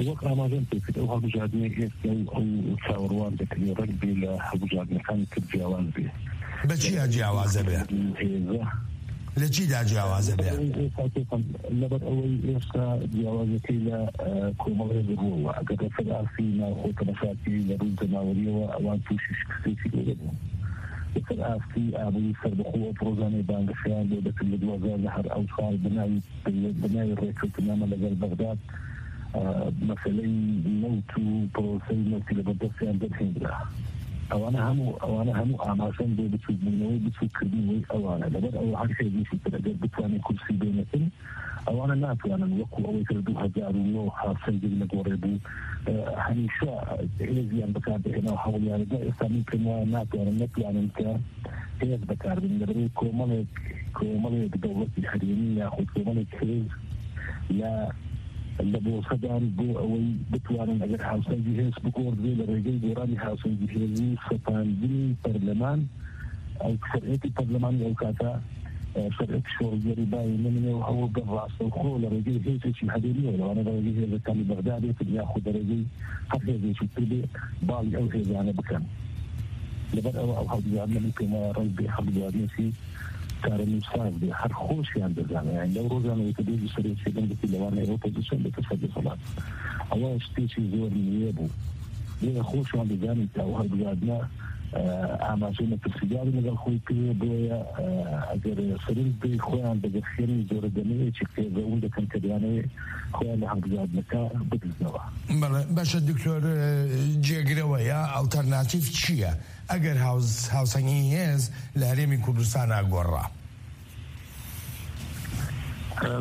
وەک ئاماژەم پێ کرد، ئەو هەڵبژاردنەی ئێستا و ئەو چاوەڕوان دەکرێت ڕەنگ بێ لە هەڵبژاردنەکانی تر جیاواز بێ. بە چیا جیاوازە بێ؟ هێزە. لە چیدا جیاوازە بێ؟ لەبەر ئەوەی ئێستا جیاوازەکەی لە کۆمەڵی بڕوەوە ئەگەر لەسەر ئاستی ناوخۆ تەمەشاکی لە ڕووی جەماوەریەوە ئەوان تووشی شکستێکی گەورە بوون. لەسەر ئاستی ئابووری سەربەخۆ ئەو پرۆژانەی بانگەشەیان بۆ دەکرد لە دوو هەزار لە هەر ئەو ساڵ بناوی بە ناوی ڕێککەوتنامە لەگەڵ بەغداد مەسەلەی نەوت و پرۆسەی نەوتی لە بەردەستیان دەرهێنرا. ئەوانە هەموو ئەوانە هەموو ئاماژەن بۆ بچووکبوونەوەی بچووککردنەوەی ئەوانە. لەبەر ئەوە هەر هێزێکی تر ئەگەر بتوانێت کورسی بێنێتن، ئەوانە ناتوانن وەکو ئەوەی کە لە دوو هەزار و نۆ هاوسەنگی نەگۆڕێ بوو هەمیشە هێزیان بەکار دەهێنا و هەوڵیانەدا. ئێستا من پێم وایە ناتوانن نەتوانن کە هێز بەکاربن لەبەرەی کۆمەڵێک کۆمەڵێک دەوڵەتی هەرێمی یاخود کۆمەڵێک هێز لە لە بۆسەدان بۆ ئەوەی بتوانن ئەگەر هاوسەنگی هێز بگۆڕدرێ لە ڕێگەی گۆڕانی هاوسەنگی هێزی سەپاندنی پەرلەمان ئەو سەرئێتی پەرلەمانی ئەو کاتە سەرئێتی شۆڕگێری بای نمنێ و هەوڵ بە ڕاستەوخۆ لە ڕێگەی هێزێکی هەرێمیەوە لەوانە لە ڕێگەی هێزەکانی بەغدا بێتن یاخود لە ڕێگەی هەر هێزێکی تر بێ باڵی ئەو هێزانە بکەن. لەبەر ئەوە ئەو هەڵبژاردنە من پێم وایە ڕەنگ بێ هەڵبژاردنێکی چارەنووسساز بێ، هەر خۆشیان دەزانن. یانی لەو ڕۆژانەوەی کە دۆزی سەرۆکی دەنگەتی لەوانەیە ئۆپۆزیسیۆن بێتە سەر دەسەڵات، ئەوە شتێکی زۆر نوێ بوو. بۆیە خۆشیان دەزانن کە ئەو هەڵبژاردنە ئاماژەی مەترسیداری لەگەڵ خۆی کردووە. بۆیە ئەگەر سەرنج بێ خۆیان دەگەخێنی زۆرە دەمەیەکی قێزەون دەکەن کە دەیانەوێ خۆیان لە هەڵبژاردنەکە بدزنەوە. بەڵێ، باشە دکتۆر، جێگرەوە یا ئەلتەرناتیڤ چییە؟ ئەگەر هاوسەنگی هێز لە هەرێمی کوردستان ئاگۆڕا.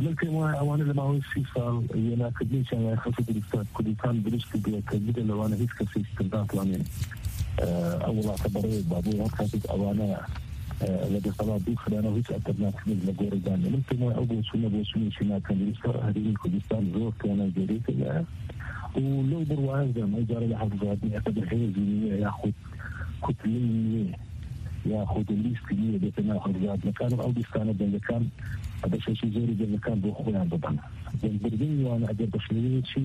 من پێم وایە ئەوانە لە ماوەی سی ساڵ وێناکردنێکیان لای خەڵکی کوردستان کوردستان دروست کردووە کە جگە لەوانە هیچ کەسێکی تر ناتوانێت ئەو وڵاتە بەڕێوە با. بۆ هەر کاتێک ئەوانە لە دەسەڵات دوو خرانەوە هیچ ئەلتەرناتیڤێک لە گۆڕیدان نیە. من پێم وایە ئەو بۆچوونە بۆچوونێکی ناتەندروستە. هەرێمی کوردستان زۆر توانای گەورەی پێدایە و لەو بڕوایەشدام ئەو جارە لە هەڵبژاردنی ئەکە بە هێزی نوێ یاخود کوتلەی نوێ یاخود لیستی نوێ دێتە ناو هەڵبژاردنەکان و ئەو لیستانە دەنگەکان بەشێکی زۆری دەنگەکان بۆ خۆیان ببەن. دەنگبردنی وانە ئەگەر بە شێوەیەکی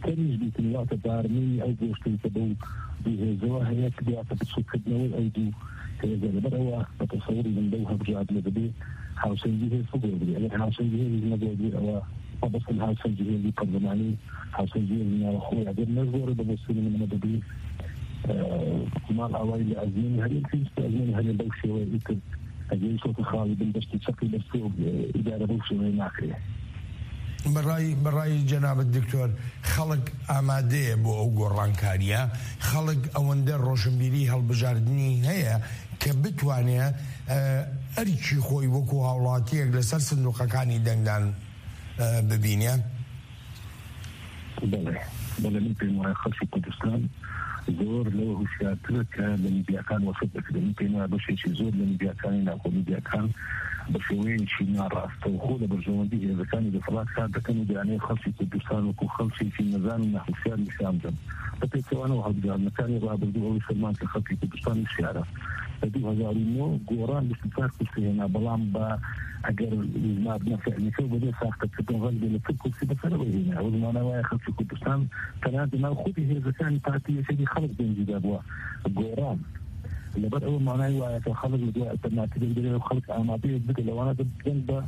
تەنیش بیتن واتە بارمەی ئەو گۆشتەی کە بەو دوو هێزەوە هەیە، کە دواتە بچووکردنەوەی ئەو دوو هێزە. لەبەر ئەوە بە تەسەوری من لەو هەڵبژاردنە دەبێ هاوسەنگی هێز بگۆڕدرێ. ئەگەر هاوسەنگی هێز نەگۆڕدرێ، ئەوە مەبەستم هاوسەنگی هێزی پەرلەمانی، هاوسەنگی هێزی ناوخۆی. ئەگەر نەگۆڕێ، بە بۆچوونی من ئەمە دەبێ، ئە، ماڵ ئاوایی لە ئەزموونی هەرێم پێویستە ئەزموونی هەرێم بەو شێوەیە ئیتر ئەگەری سۆتە خاڵی بن دەستی چەقی دەستێ و، ئە، ئیدارە بەو شێوەیە ناکرێ. بەڕای، بەڕای جەنابەت دکتۆر، خەڵک ئامادەیە بۆ ئەو گۆڕانکاریە؟ خەڵک ئەوەندە ڕۆشنبیری هەڵبژاردنی هەیە کە بتوانێ، ئە، ئەرکی خۆی وەکو هاوڵاتیەک لەسەر سندوقەکانی دەنگدان، ئە، ببینێ؟ بەڵێ، بەڵێ، من پێم وایە خەڵکی کوردستان زۆر لەوە هوشیارترە کە لە میدیاکان وەسف دەکرێت. من پێم وایە بەشێکی زۆر لە میدیاکانی ناکۆ میدیاکان بە شێوەیەکی ناڕاستەوخۆ لە بەرژەوەندی هێزەکانی دەسەڵات کار دەکەن و دەیانەوێت خەڵکی کوردستان وەکو خەڵکێکی نەزان و ناهوشیار نیشان بدەن. بە پێچەوانەوە هەڵبژاردنەکانی ڕابردوو ئەوەی سەلمان کە خەڵکی کوردستان وشیارە. لە دوو هەزار و نۆ گۆڕان بیست و چوار کورسی هێنا، بەڵام بە ئەگەر ژماردنە فعلیەکە و بەبێ ساختەکردن ڕەنگ بێ لە چل کورسی بەسەرەوەی هێنا. ئەوە زمانە وایە خەڵکی کوردستان تەنانەت لەناو خودی هێزەکانی پارتی یەکێتی خەڵک دەنگی دابووە گۆڕان. لەبەر ئەوە مانای وایە کە خەڵک لە دوای ئەلتەرناتیڤێک دەبێت و خەڵک ئامادەیەک بدە لەوانە دەنگ بە،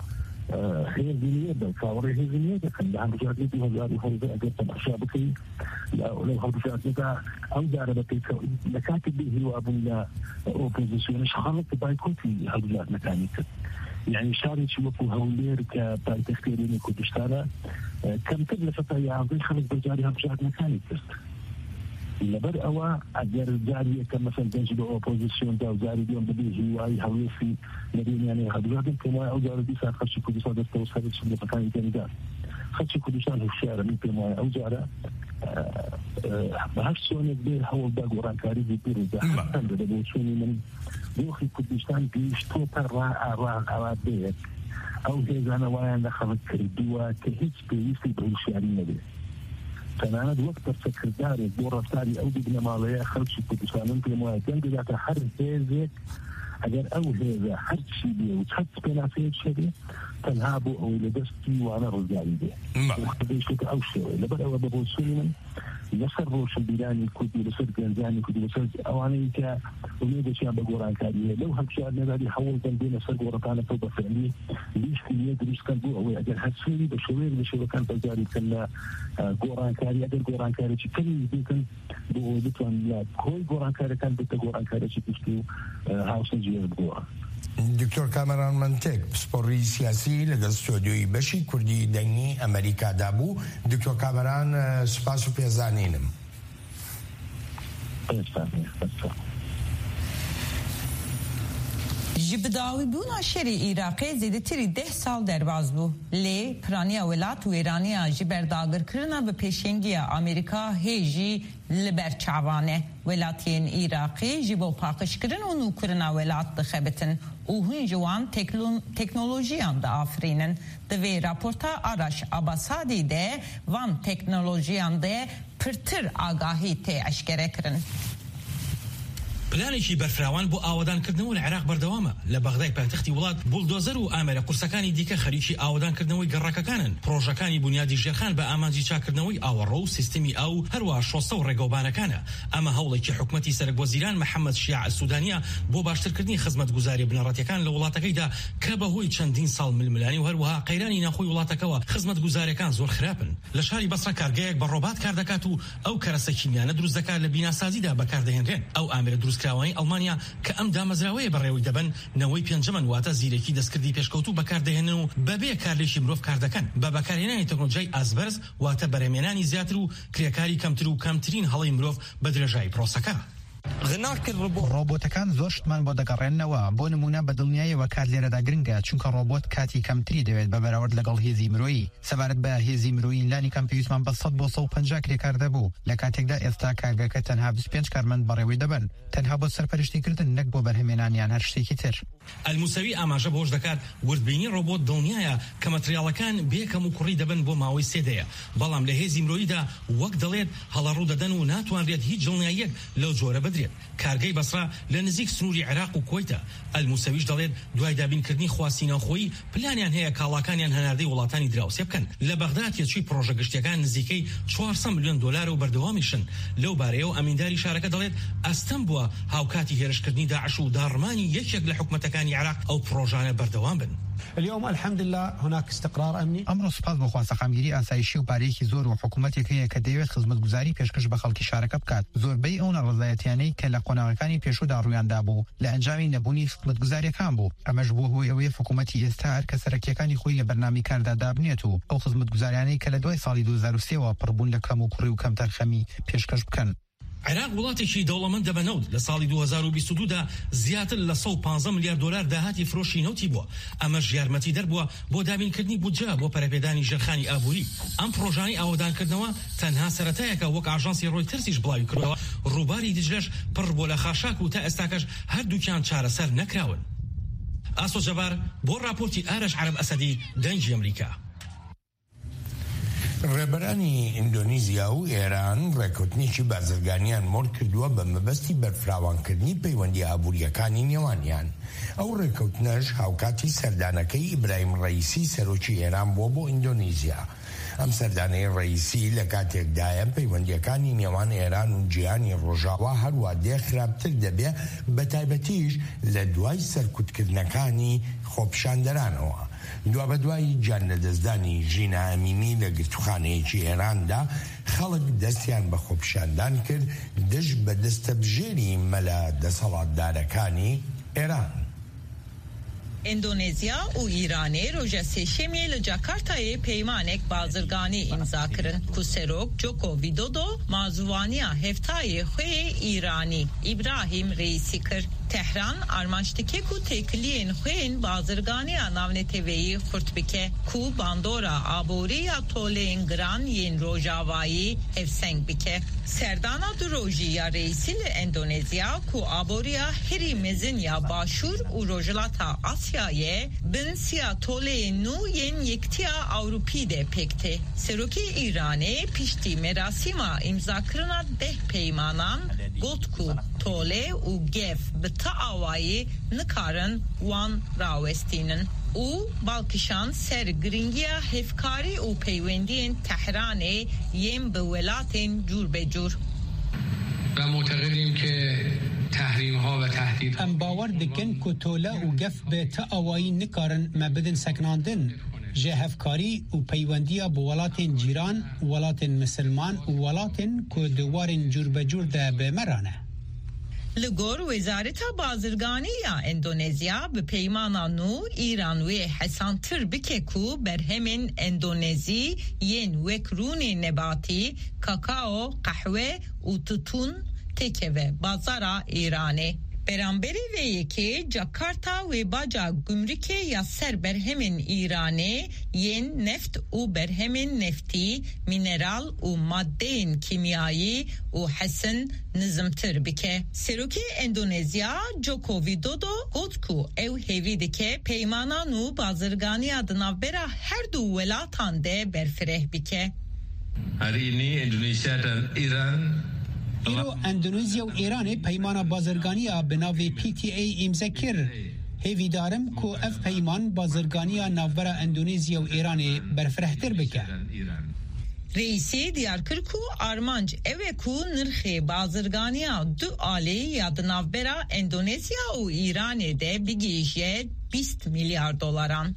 ئە، هێزی نوێ بە چاوەڕێ هێزی نوێ دەکەن. لە هەڵبژاردنی دوو هەزار و هەژدە ئەگەر تەماشا بکەین، لە، لەو هەڵبژاردنەدا ئەو جارە بە پێچەوە لە کاتی بێ هیوا بوون لە ئۆپۆزیسیۆنش خەڵک بایکۆتی هەڵبژاردنەکانی کرد. یعنی شارێکی وەکو هەولێر کە پایتەختی هەرێمی کوردستانە، ئە، کەمتر لە سەدا یازدەی خەڵک بەشداری هەڵبژاردنەکانی کرد. لەبەر ئەوە ئەگەر جاری یەکەم مەسەن دەنگی بە ئۆپۆزیسیۆن دا و جاری دووەم بەبێ هیوایی هەڵوێستی لە بینیانەی هەڵبژاردن، پێم وایە ئەو جارە دیسان خەڵکی کوردستان دەستەوە سەر چ لە پەکانی دەنگدا. خەڵکی کوردستان هوشیارە، من پێم وایە ئەو جارە، ئە، ئە، بە هەر سۆنێک بێ هەوڵدا گۆڕانکاری بوو بڕوودا. هەرچەندە بە بۆچوونی من دۆخی کوردستان گەیشتۆتە ڕا-، ڕا-، ڕادەیەک ئەو هێزانە وایان لە خەڵک کردووە کە هیچ پێویستی بە هوشیاری نەبێ. تەنانەت وەک پرسەکردارێک بۆ ڕەفتاری ئەو دوو بنەماڵەیە خەڵکی کوردستان من پێم وایە دەنگ دەداتە هەر هێزێک، ئەگەر ئەو هێزە هەرچی بێ و چەند پێناسەیەک هەبێ، تەنها بۆ ئەوەی لە دەستی وانە ڕزگاری بێ. بەڵێ. وەختە دەیشێتە ئەو شێوەیە. لەبەر ئەوە بە بۆچوونی من لەسەر ڕۆشنبیرانی کوردی، لەسەر گەنجانی کوردی، لەسەر ئەوانەی کە ئومێدێکیان بە گۆڕانکاری هەیە، لەو هەڵبژاردنەدا هەوڵ دەن بێنە سەر گۆڕەپانەکە و بە فعلی لیستی نوێ دروست بکەن بۆ ئەوەی ئەگەر هەرچی بە شێوەیەک لە شێوەکان بەشداری بکەن لە، ئە، گۆڕانکاری، ئەگەر گۆڕانکاریی کەمی بکەن بۆ ئەوەی بتوان لە کۆی گۆڕانکاریەکان بێتە گۆڕانکاریەکی گشتی و، ئە، هاوسەنگی هەیە بگۆڕن. دکتۆر کامەران منتێک، پسپۆڕی سیاسی لەگەڵ ستۆدیۆی بەشی کوردی دەنگی ئەمریکادا بوو. دکتۆر کامەران، ئە، سپاس و پێزانینم. Ji bidawîbûna şerê Iraqê zêdetirî deh sal derbas bû. Lê piraniya welat wêraniya ji ber dagirkirina bi pêşengiya Amerîka hê jî li ber çavan e. Welatiyên Iraqê ji bo paqijkirin û nûkirina welat dixebitin û hûn ji wan teklo-, teknolojiyan diafirînin. Di vê raporta Araş Abasadî de van teknolojiyan de pirtir agahî tê eşkerekirin. پلانێکی بەرفراوان بۆ ئاوەدانکردنەوە لە عێراق بەردەوامە. لە بەغدای پایتەختی وڵات، بولدۆزەر و ئامێرە قورسەکانی دیکە خەریکی ئاوەدانکردنەوەی گەڕەکەکانن. پرۆژەکانی بونیادی ژێرخان بە ئامانجی چاکردنەوەی ئاوەڕۆ و سیستمی ئاو و هەروەها شۆستە و ڕێگەوبانەکانە. ئەمە هەوڵێکی حکومەتی سەرک وەزیران محەممەد شیاع سوودانیە بۆ باشترکردنی خزمەتگوزاری بنەڕەتیەکان لە وڵاتەکەیدا کە بەهۆی چەندین ساڵ ململانی و هەروەها قەیرانی ناخۆی وڵاتەکەوە خزمەتگوزارەکان زۆر خراپن. لە شاری بەسرە کارگەیەک بە ڕۆبات کار دەکات و ئەو کەرەسە کیمیانە دروست دەکات لە بیناسازیدا بەکاردەهێنرێن. ئەو ئامێرە دروستکراوانەی ئەڵمانیا کە ئەم دامەزراوەیە بەڕێوەی دەبەن، نەوەی پێنجەمەن، واتە زیرەکی دەستکردی پێشکەوتوو بەکاردەهێنن و بەبێ کارلێکی مرۆڤ کار دەکەن. بە بەکارهێنانی تەکنۆلۆژیای ئاسبەرز، واتە بەرهەمێنانی زیاتر و کرێکاری کەمتر و کەمترین هەڵەی مرۆڤ بە درێژایی پرۆسەکە. ڕۆبۆتەکان زۆر شتمان بۆ دەگەڕێننەوە. بۆ نمونە، بە دڵنیاییەوە کات لێرەدا گرنگە، چونکە ڕۆبۆت کاتی کەمتری دەوێت بە بەراورد لەگەڵ هێزی مرۆیی. سەبارەت بە هێزی مرۆیی، لانی کەم پێویستمان بە سەد بۆ سەد و پەنجا کرێکار دەبوو، لە کاتێکدا ئێستا کارگەکە تەنها بیست و پێنج کارمەند بەڕێوەی دەبەن، تەنها بۆ سەرپەرشتیکردن، نەک بۆ بەرهەمێنان یان هەر شتێکی تر. ئەلموسەوی ئاماژە بۆش دەکات، وردبینی ڕۆبۆت دڵنیایە کە مەتریاڵەکان بێ کەم و کوڕی دەبن بۆ ماوەی سێ دەیە، بەڵام لە هێزی مرۆییدا، وەک دەڵێت، هەڵە ڕوو دەدەن و ناتوانرێت هیچ دڵنیاییەک لەو جۆرە درێت. کارگەی بەسرا لە نزیک سنووری عێراق و کوەیتە. ئەلموسەویش دەڵێت دوای دابینکردنی خواستی ناوخۆیی، پلانیان هەیە کاڵاکانیان هەناردەی وڵاتانی دراوسێ بکەن. لە بەغداد تێچووی پرۆژە گشتیەکان نزیکەی چوار سەد ملیۆن دۆلار و بەردەوامیشن. لەو بارەیەوە ئەمینداری شارەکە دەڵێت ئەستەم بووە هاوکاتی هێرشکردنی داعش و داڕمانی یەکێک لە حکومەتەکانی عێراق ئەو پرۆژانە بەردەوام بن. اليوم الحمد لله هناك استقرار أمني. ئەمڕۆ سوپاس بۆ خوا سەقامگیری ئاسایشی و پارەیەکی زۆر و حکوومەتێک هەیە کە دەیەوێت خزمەتگوزاری پێشکەش بە خەڵکی شارەکە بکات. زۆربەی ئەو ناڕەزایەتیانەی کە لە قۆناغەکانی پێشوودا ڕوویان دابوو، لە ئەنجامی نەبوونی خزمەتگوزاریەکان بوو. ئەمەش بووە هۆی ئەوەی حکوومەتی ئێستا هەر کە سەرەکیەکانی خۆی لە بەرنامەی کاردا دابنێت و ئەو خزمەتگوزاریانەی کە لە دوای ساڵی دوو هەزار و سێ وە پڕبوون لە کەم و کوڕی و کەم تەرخەمی پێشکەش بکەن. عێراق وڵاتێکی دەوڵەمەندە بە نەوت. لە ساڵی دوو هەزار و بیست و دوو دا زیاتر لە سەد و پازدە ملیار دۆلار داهاتی فرۆشی نەوتی بووە. ئەمەش یارمەتی دەربووە بۆ دابینکردنی بودجە بۆ پەرەپێدانی ژێرخانی ئابووری. ئەم پرۆژانەی ئاوەدانکردنەوە تەنها سەرەتایەکە، وەک ئاژانسی ڕۆیتەرسیش بڵاوی کردەوە. ڕووباری دجلەش پڕ بووە لە خاشاک و تا ئێستاکەش هەردووکیان چارەسەر نەکراون. ئاسۆ جەبار بۆ راپۆرتی ئارەش عەرەب ئەسەدی، دەنگی ئەمریکا. ڕێبەرانی ئیندۆنیزیا و ئێران ڕێکەوتنێکی بازرگانیان مۆر کردووە بە مەبەستی بەرفراوانکردنی پەیوەندی ئابووریەکانی نێوانیان. ئەو ڕێکەوتنەش هاوکاتی سەردانەکەی ئیبراهیم ڕەیسی، سەرۆکی ئێران، بووە بۆ ئیندۆنیزیا. ئەم سەردانەی ڕەیسی لە کاتێکدایە پەیوەندیەکانی نێوان ئێران و جیهانی ڕۆژاوا هەروە دێ خراپتر دەبێ، بە تایبەتیش لە دوای سەرکوتکردنەکانی خۆپیشاندەرانەوە. دوابەدوای گیان لەدەستدانی ژینا ئەمینی لە گرتوخانەیەکی ئێراندا، خەڵک دەستیان بە خۆپیشاندان کرد دژ بە دەستەبژێری مەلا دەسەڵاتدارەکانی ئێران. ئەندۆنێزیا و ئیرانê roja sêşemê li Jakartayê peymanek bazirganî îmza kirin ku serok Joko Widodo mazûvaniya hevtayê xwe yê Îranî Îbrahîm Reîsî kir. Tehran armanc dike ku têkiliyên xwe yên bazirganiya navneteweyî xurt bike ku bandora aborî ya toleyên giran yên Rojavayî hevseng bike. Serdana du rojî ya Reîsî li Endonezya ku aboriya herî mezin ya Başûr û Rojhilata Asyayê bin siya toleyên nû yên Yektiya Ewropî de pêk tê. Serokê Îranê piştî merasîma îmzakirina deh peymanan got ku tole û gef bi ti awayî nikarin wan rawestînin û bal kişand ser giringiya hevkarî û peywendiyên Tehranê yên bi welatên cûr be cûr. و معتقدیم که تحریم ها و تهدید Em bawer dikin ku tole û gef bi ti awayî nikarin me bidin sekinandin. Ji hevkarî û peywendiya bi welatên cîran, welatên misilman û welatên ku di warên cûrbecûr de bi me re ne. Li gor Wezareta Bazirganî ya Endonezya, bi peymana nû Îran wê hesantir bike ku berhemên Endonezî yên wek rûnê nebatî, kakao, qehwe û tutûn têkeve bazara Îranê. Beramberî vê yekê Jakarta wê baca gumrikê ya ser berhemên Îranê yên neft û berhemên neftî, mîneral û madeyên kîmyayî û hesin nizimtir bike. Serokê Endonezya Joko Widodo got ku ew hêvî dike peymana nû bazirganiya di navbera her du welatan de berfireh bike. Hari ini Indonesia dan Iran Îro Endonezya û Îranê peymana bazirganiya bi navê P T A îmze kir. Hêvîdar im ku ev peyman bazirganiya navbera Endonezya û Îranê berfirehtir bike. Reîsî diyar kir ku armanc ew e ku nirxê bazirganiya du alî ya di navbera Endonezya û Îranê de bigihîje bîst milyar dolaran.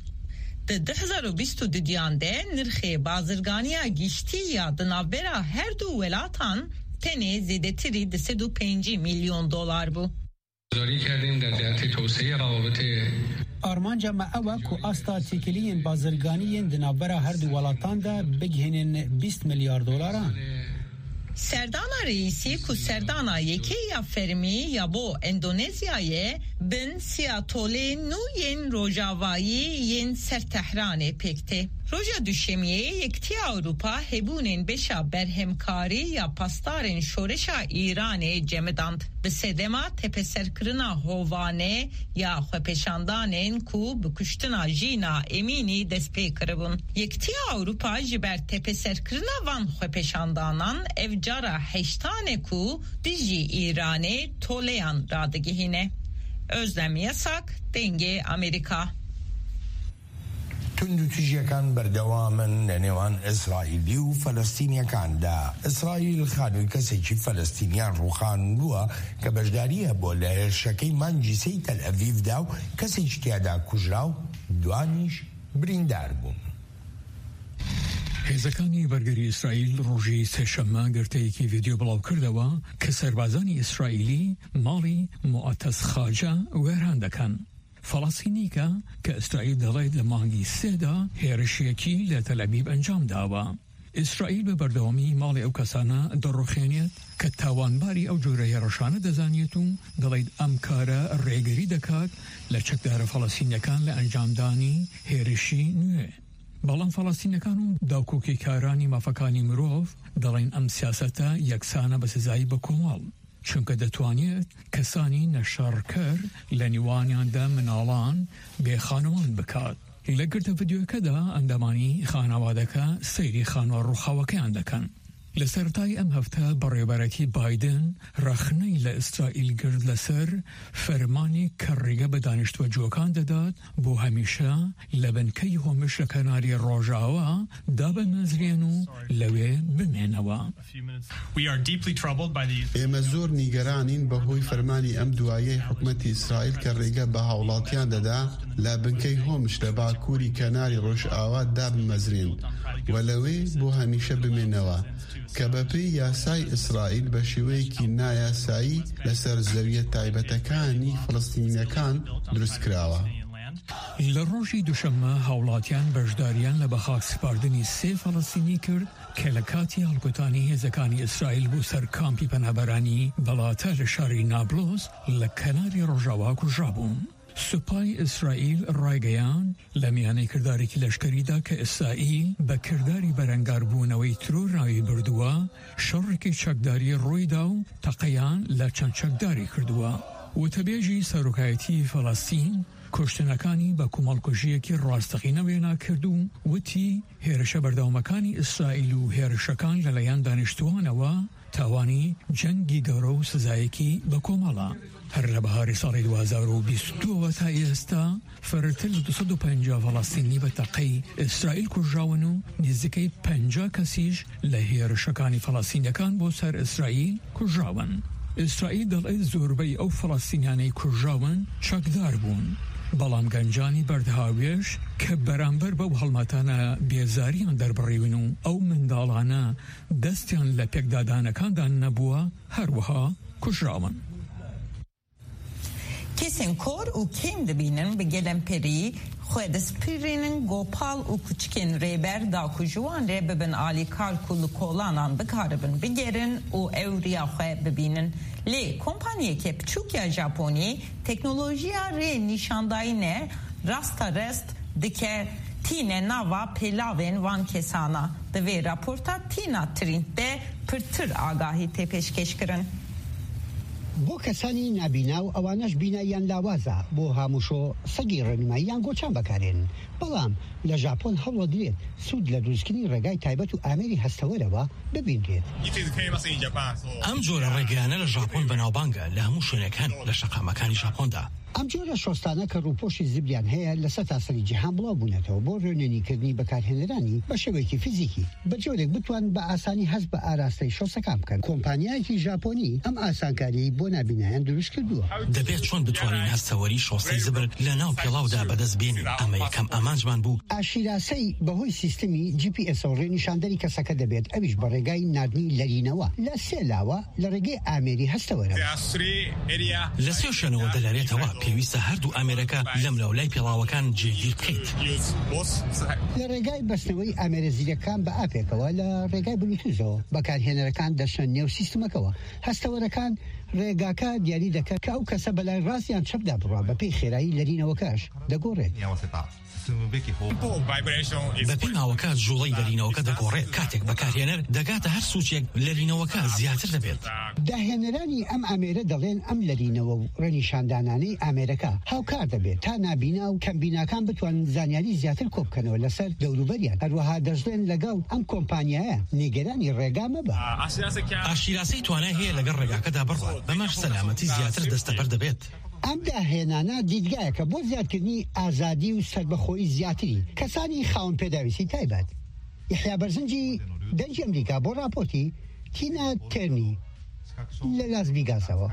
Di du hezar û bîst û duyan de nirxê bazirganiya giştî ya di navbera her du welatan tenê zêdetirî du sed û pêncî milyon dolar bû. گذاری کردیم در جهت توسعهٔ روابط Armanca me ew e ku asta têkiliyên bazirganî yên di navbera her du welatan de bigihînin bîst milyar dolaran. Serdana Reîsî ku serdana yekê ya fermî ya bo Endonezyayê bin siya tolê nû yên rojavayî yên ser Tehranê pêk tê. Roja Duşemiyê Yekitiya Ewropa hebûnên beşa berhemkarî ya pasdarên şoreşa Îranê cemidand. Bi sedema tepeserkirina hovane ya xwepêşandanên ku bi kuştina Jîna Emînî dest pê kiribûn. Yekitiya Ewropa ji ber tepeserkirina van xwepêşandanan ev cara heştan e ku dijî Îranê toleyan radigihîne. Özlem Yasak, Dengê Amerîka. توندوتیژیەکان بەردەوامن لە نێوان ئیسرائیلی و فەلەستینیەکاندا. ئیسرائیل خانووی کەسێکی فەلەستینیان ڕووخاندووە کە بەشداری هەبووە لە هێرشەکەی مانگی سێی تەل ئەڤیڤدا و کەسێکی تیادا کوژرا و دوانیش بریندار بوون. هێزەکانی بەرگری ئیسرائیل ڕۆژی سێشەممە گرتەیەکی ڤیدیۆ بڵاو کردەوە کە سەربازانی ئیسرائیلی ماڵی موعەتەز خاجە وێران دەکەن. فەڵەستینیکە کە ئیسرائیل دەڵێت لە مانگی سێدا هێرشیەکی لە تەلەبیب ئەنجام داوە. ئیسرائیل بە بەردەوامی ماڵی ئەو کەسانە دەڕوخێنێت کە تاوانباری ئەو جۆرە هێڕشانە دەزانێت و دەڵێت ئەم کارە ڕێگری دەکات لە چەکدارە فەڵەستینیەکان لە ئەنجامدانی هێرشی نوێ. بەڵام فەڵەستینیەکان و داکۆکیکارانی مافەکانی مرۆڤ دەڵێن ئەم سیاسەتە یەکسانە بە سزایی بە کۆمەڵ. چونکە دەتوانێت کەسانی نەشەڕکەر لە نێوانیاندا مناڵان بێ خانمان بکات. لە گرتە ڤیدیۆکەدا ئەندامانی خانەوادەکە سەیری خانوە ڕووخاوەکەیان دەکەن. لە سەرەتای ئەم هەفتە بەڕێوەبەرەتی بایدن ڕەخنەی لە ئیسرائیل گرت لەسەر فەرمانی کە ڕێگە بە دانیشتووە جووەکان دەدات بۆ هەمیشە لە بنکەی هۆمش لە کەناری ڕۆژاوا دابمەزرێن و لەوێ بمێنەوە. ئێمە زۆر نیگەرانین بەهۆی فەرمانی ئەم دواییەی حکومەتی ئیسرائیل کە ڕێگە بە هاوڵاتیان دەدا لە بنکەی هۆمش لە باکووری کەناری ڕۆژئاوا دابمەزرێن و لەوێ بۆ هەمیشە بمێنەوە، کە بەپێی یاسای ئیسرائیل بە شێوەیەکی نایاسایی لەسەر زەویە تایبەتەکانی فەڵەستینییەکان دروست کراوە. لە ڕۆژی دووشەممە هاوڵاتیان بەشداریان لە بەخاک سپاردنی سێ فەڵەستینی کرد کە لە کاتی هەڵکوتانی هێزەکانی ئیسرائیل بۆ سەر کامپی پەنابەرانی بەڵاتە لە شاری نابلۆس لە کەناری ڕۆژاوا کوژرابوون. سوپای ئیسرائیل ڕایگەیاند لە میانەی کردارێکی لەشکریدا کە ئیسرائیل بە کرداری بەرەنگاربوونەوەی ترۆر ناوی بردووە، شەڕێکی چەکداری ڕوویدا و تەقەیان لە چەند چەکداری کردووە. وتەبێژی سەرۆکایەتی فەڵەستین کوشتنەکانی بە کۆمەڵکوژییەکی ڕاستەقینە وێنا کرد و وتی، هێرشە بەردەوامەکانی ئیسرائیل و هێرشەکان لەلایەن دانیشتووانەوە تاوانی جەنگی گەورە و سزایەکی بەکۆمەڵە. هەر لە بەهاری ساڵی دوو هەزار و بیست و دوو ەوە تا ئێستا فرەتر لە دوو سەد و پەنجا فەڵەستینی بە تەقەی ئیسرائیل کوژراون و نزیکەی پەنجا کەسیش لە هێرشەکانی فەڵەستینییەکان بۆ سەر ئیسرائیل کوژراون. ئیسرائیل دەڵێت زۆربەی ئەو فەڵەستینیانەی کوژراون چەکدار بوون، بەڵام گەنجانی بەردهاوێش کە بەرامبەر بەو هەڵمەتانە بێزاریان دەربڕیون و ئەو منداڵانە دەستیان لە پێکدادانەکاندا نەبووە، هەروەها کوژراون. Kesên kor û kêm dibînin bi gelemperî xwe dispirînin, gopal û kuçikên rêber da ku ji wan re bibin alîkar ku li kolanan bikaribin bigerin û ewriya xwe bibînin. Lê kompaniyeke piçûk ya Japonî teknolojiya rê nîşandayîne rasta rest dike tîne nava pêlavên van kesana. Di vê raporta Tîna Trînt de pirtir agahî tê pêşkêşkirin. بۆ کەسانی نابینا و ئەوانەش بیناییان لاوازە، بۆ هاموشۆ سەگی ڕێنمایی یان گۆچان بەکارێنن. بەڵام لە ژاپۆن هەوڵدرێت سوود لە دروستکردنی ڕێگای تایبەت و ئامێری هەستەوەرەوە ببینرێت. ئەم جۆرە ڕێگەیانە لە ژاپۆن بەناوبانگە، لە هەموو شوێنێک هەن لە شەقامەکانی ژاپۆندا. ئەم جۆرە شۆستانە کە ڕووپۆشی زبریان هەیە لە سەرتاسەری جیهان بڵاو بوونەتەوە بۆ ڕێنوێنیکردنی بەکارهێنەرانی بە شێوەیەکی فیزیکی، بە جۆرێک بتوان بە ئاسانی هەست بە ئاراستەی شۆستەکان بکەن. کۆمپانیایەکی ژاپۆنی ئەم ئاسانکاریی بۆ نابینایان دروست کردووە. دەبێت چۆن بتوانین هەستەوەری شۆستەی زبر لە ناو پێڵاودا بەدەست بێنین؟ ئەمە یەکەم ئامانجمان بوو. ئاشیراسەی بەهۆی سیستمی جی پی ئێسەوە ڕێنیشاندەری کەسەکە دەبێت، ئەویش بە ڕێگای ناردنی لەرینەوە لە سێ لاوە لە ڕێگەی ئامێری هەستەوەرەوە. لە سێ شوێنەوە دەلەرێتەوە. پێویستە هەردوو ئامێرەکە لەم لاو لای پێڵاوەکان جێگیر بکەیت. لە ڕێگای بەستنەوەی ئامێرە زیرەکان بە ئاپێکەوە لە ڕێگای بلوتوزەوە بەکارهێنەرەکان دەچنە نێو سیستمەکەوە. هەستەوەرەکان ڕێگاکە دیاری دەکەن کە ئەو کەسە بەلای ڕاست یان چەپدا بڕوا، بەپێی خێرایی لەرینەوەکەش دەگۆڕێت. بە پێی ماوەکە، جوڵەی لەرینەوەکە دەگۆڕێت. کاتێک بەکارهێنەر دەگاتە هەر سوچێک، لەرینەوەکە زیاتر دەبێت. داهێنەرانی ئەم ئامێرە دەڵێن ئەم لەرینەوە و ڕێنیشاندانانەی ئامێرەکە هاوکار دەبێت تا نابینا و کەمبیناکان بتوانن زانیاری زیاتر کۆبکەنەوە لەسەر دەوروبەریان. هەروەها دەژڵێن لەگەڵ ئەم کۆمپانیایە نیگەرانی ڕێگا مەبە. ئاشیراسەی توانای هەیە لەگەڵ ڕێگاکەدا بڕوات، بەمەش سەلامەتی زیاتر دەستەبەر دەبێت. ئەم داهێنانە دیدگایەکە بۆ زیادکردنی ئازادی و سەربەخۆی زیاتری کەسانی خاوەن پێداویستی تایبەت. یحیا بەرزنجی، دەنگی ئەمریکا، بۆ راپۆرتی تینا تێرنی لە لاس ڤیگاسەوە.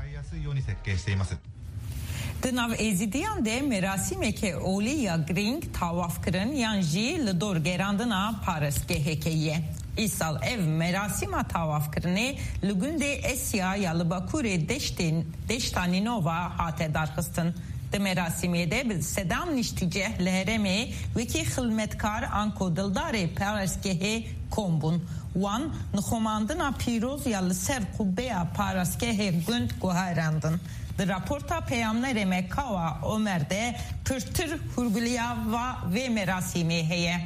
Di nav Êzidiyan de merasîmeke olî ya girîng tawafkirin yan jî li dor gerandina parestgeheke ye. Îsal ev merasîma tawafkirinê li gundê Esya ya li bakurê deştên, deşta Nînova hate darxistin. Di merasîmê de bi sedan niştîceh li herêmê wekî xilmetkar anko dildarê parestgehê kom bûn. Wan nixumandina pîroz ya li ser qubbeya parastgehê gund guherandin. Di raporta peyamnerê me Kawa Omer de pirtir hûrguliya va vê merasîmê heye.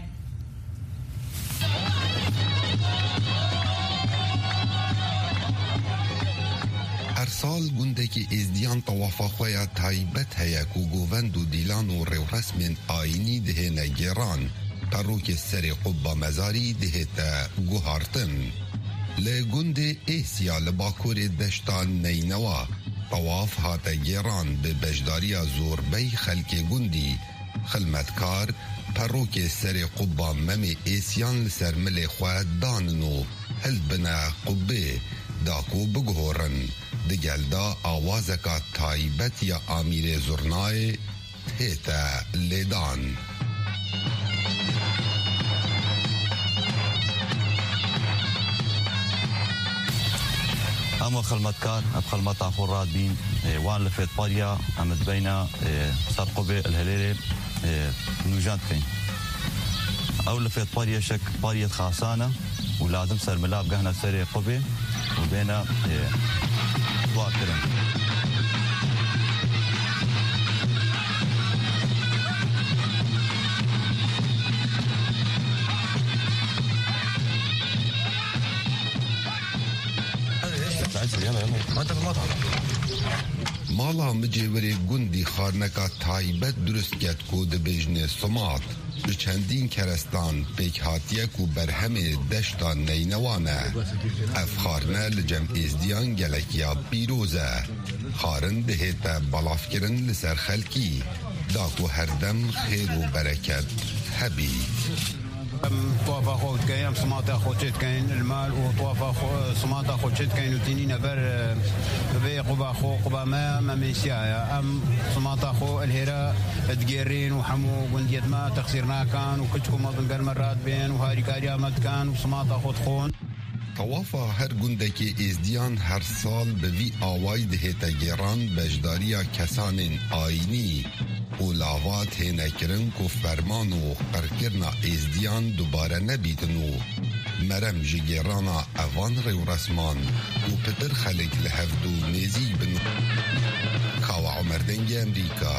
Her sal gundekî Êzdiyan tawafa xwe ya taybet heye ku govend û dîlan û rêwresmên ayînî dihêne gêran. Perokê serê qubba mezarî dihête guhartin. Li gundê Êsya li bakurê deşta Neynewa tawaf hate gêran bi beşdariya zorbey xelkê gundî. Xilmetkar perokê serê qubba Memê Êsyan li ser milê xwe danin û hildibine qubbê da ku biguhorin. Di gel de awazeka taybet ya amîrê zurnayê tête lêdan. Em wek xilmetkar, em xilmeta xwe radibîn, e, wan li fêtpariya em dibeyne, e, ser qubê li hilêrê, e, nûjan dikeyn. Ew li fêtpariya şek pariyet xasan e. û lazim ser mila bigehne serê qubê û bêne, e, dua kirin. Mala micêwirê gundî xarneka taybet durust ket ku dibêjne Simat. Bi çendîn kerestan pêk hatiye ku berhemê deşta Neynewan e. Ev xarne li cem Êzdiyan gelek ya pîroz e. Xarin dihête belavkirin li ser xelkî, da ku herdem xêr û bereket hebî. Em tuafa xwe dikeyin, em simata xwe çê dikeyin, li mal û tuafa xwe, simata xwe çê dikeyin û tînîne ber, e, vê quba xwe, quba me, me mêsiya ye. Em simata xwe li hêra digêrîn û hemû gundiyet me texsîr nakin û kiçik û mezin gel me radibên û harîkariya me dikin û simata xwe dixwin. Tawafa her gundekê Êzdiyan her sal bi vî awayî dihête gêran beşdariya kesanên ayînî û lava têne kirin ku ferman û qirkirina Êzdiyan dubare nebîtin û merem ji gêrana evan rêwresman û pitir xelk li hevdû nêzîk bin. Kawa Omer, Dengê Emerîka,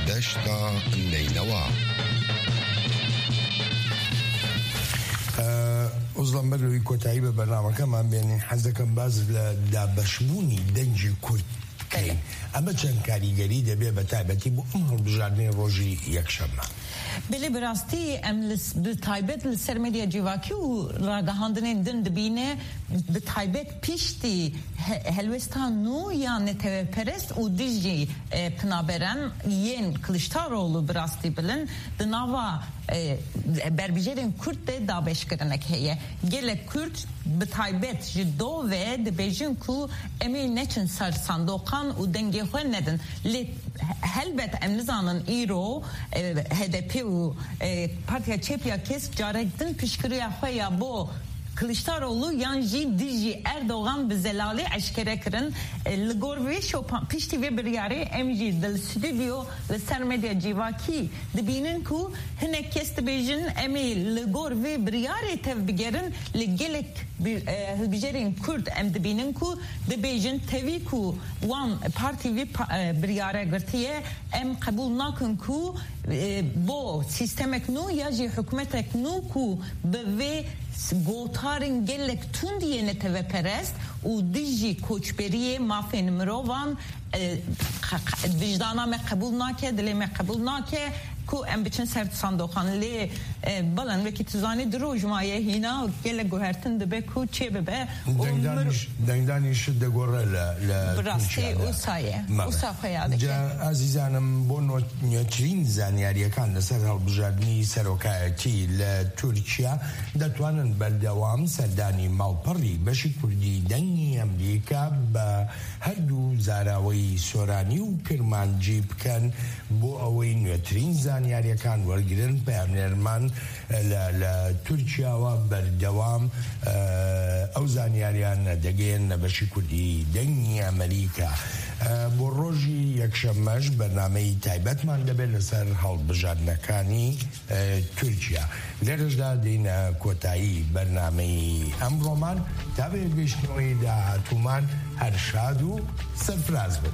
Deşta Neynewa. Ee, Uzlan, ber li wî kotayî bi bernamekeman bênin, hez dikim baz li dabeşbûnî dengê Kurd bikeyin. Belê. Ev çend karîgerî dibê, bi taybetî bo em hilbijartinê rojî yekşembe? Belê, bi rastî em li s-, bi taybet li ser medya civakî û ragihandinên din dibîne, bi taybet piştî he-, helwesta nû ya netewperest û dijî, e, penaberan yên Kiliçdaroglu bi rastî bilind di nava, e, berbijêrên Kurd de dabeşkirinek heye. Gelek Kurd bi taybet ji do ve dibêjin ku em ê neçin ser sandoqan û dengê xwe nedin. Lê he-, helbet em nizanin îro, e, H D P û, e, Partiya Çep ya Kesk carek din piştgiriya xwe ya bo Kiliçdaroglu yan jî dijî Erdogan bi zelalî eşkere kirin. E, li gor vê şopa, piştî vê biryarê em jî di stûdyo li ser medya civakî dibînin ku hinek kes dibêjin em ê li gor vê biryarê tev bigerin. Li gelek bi-, e, hilbijarên Kurd em dibînin ku dibêjin tevî ku wan partî vê pa-, e, biryare girtiye, em qebûl nakin ku, e, bo sîstemek nû ya jî hikûmetek nû ku bi vê s-, gotarên gelek tund yên neteweperest û dijî koçberiyê, mafên mirovan, e, qe-, qe-, wijdana me qebûl nake, dilê me qebûl nake ku em biçin ser sandoqan. Lê, e, balan wekî tu zanî, du roj maye hîna gelek guhertin dibe ku çê bibe. Û mir- Dengdanîş, dengdanîş digore li, li Bi rastî Tirkiye de. Wisa ye. Mame. Wisa xwe ya dike. Ca, ezîzanim, bo no-, nûtirîn zanyariyekên li ser hilbijartinê serokayetî li Tirkiye, detwanin berdewam serdanî malperî beşî kurdî Dengî Amerîka bi her du zaraweyî soranî û kirmancî bikin, bo ewey nûtirîn zanyariyekên wergirin, peyamnêrman li, li Tirkiye we berdewam, e, ew zanyariyan digihînin beşî kurdî Dengî Amerîka. E, bo rojî yekşemmeş bernameyî taybetman dibe li ser hilbijartinekên, e, Tirkiye. Li rêj de dîne kotayî bernameyî emroman, ta vê bîstneweyî dahatûman her şad û serfiraz bin.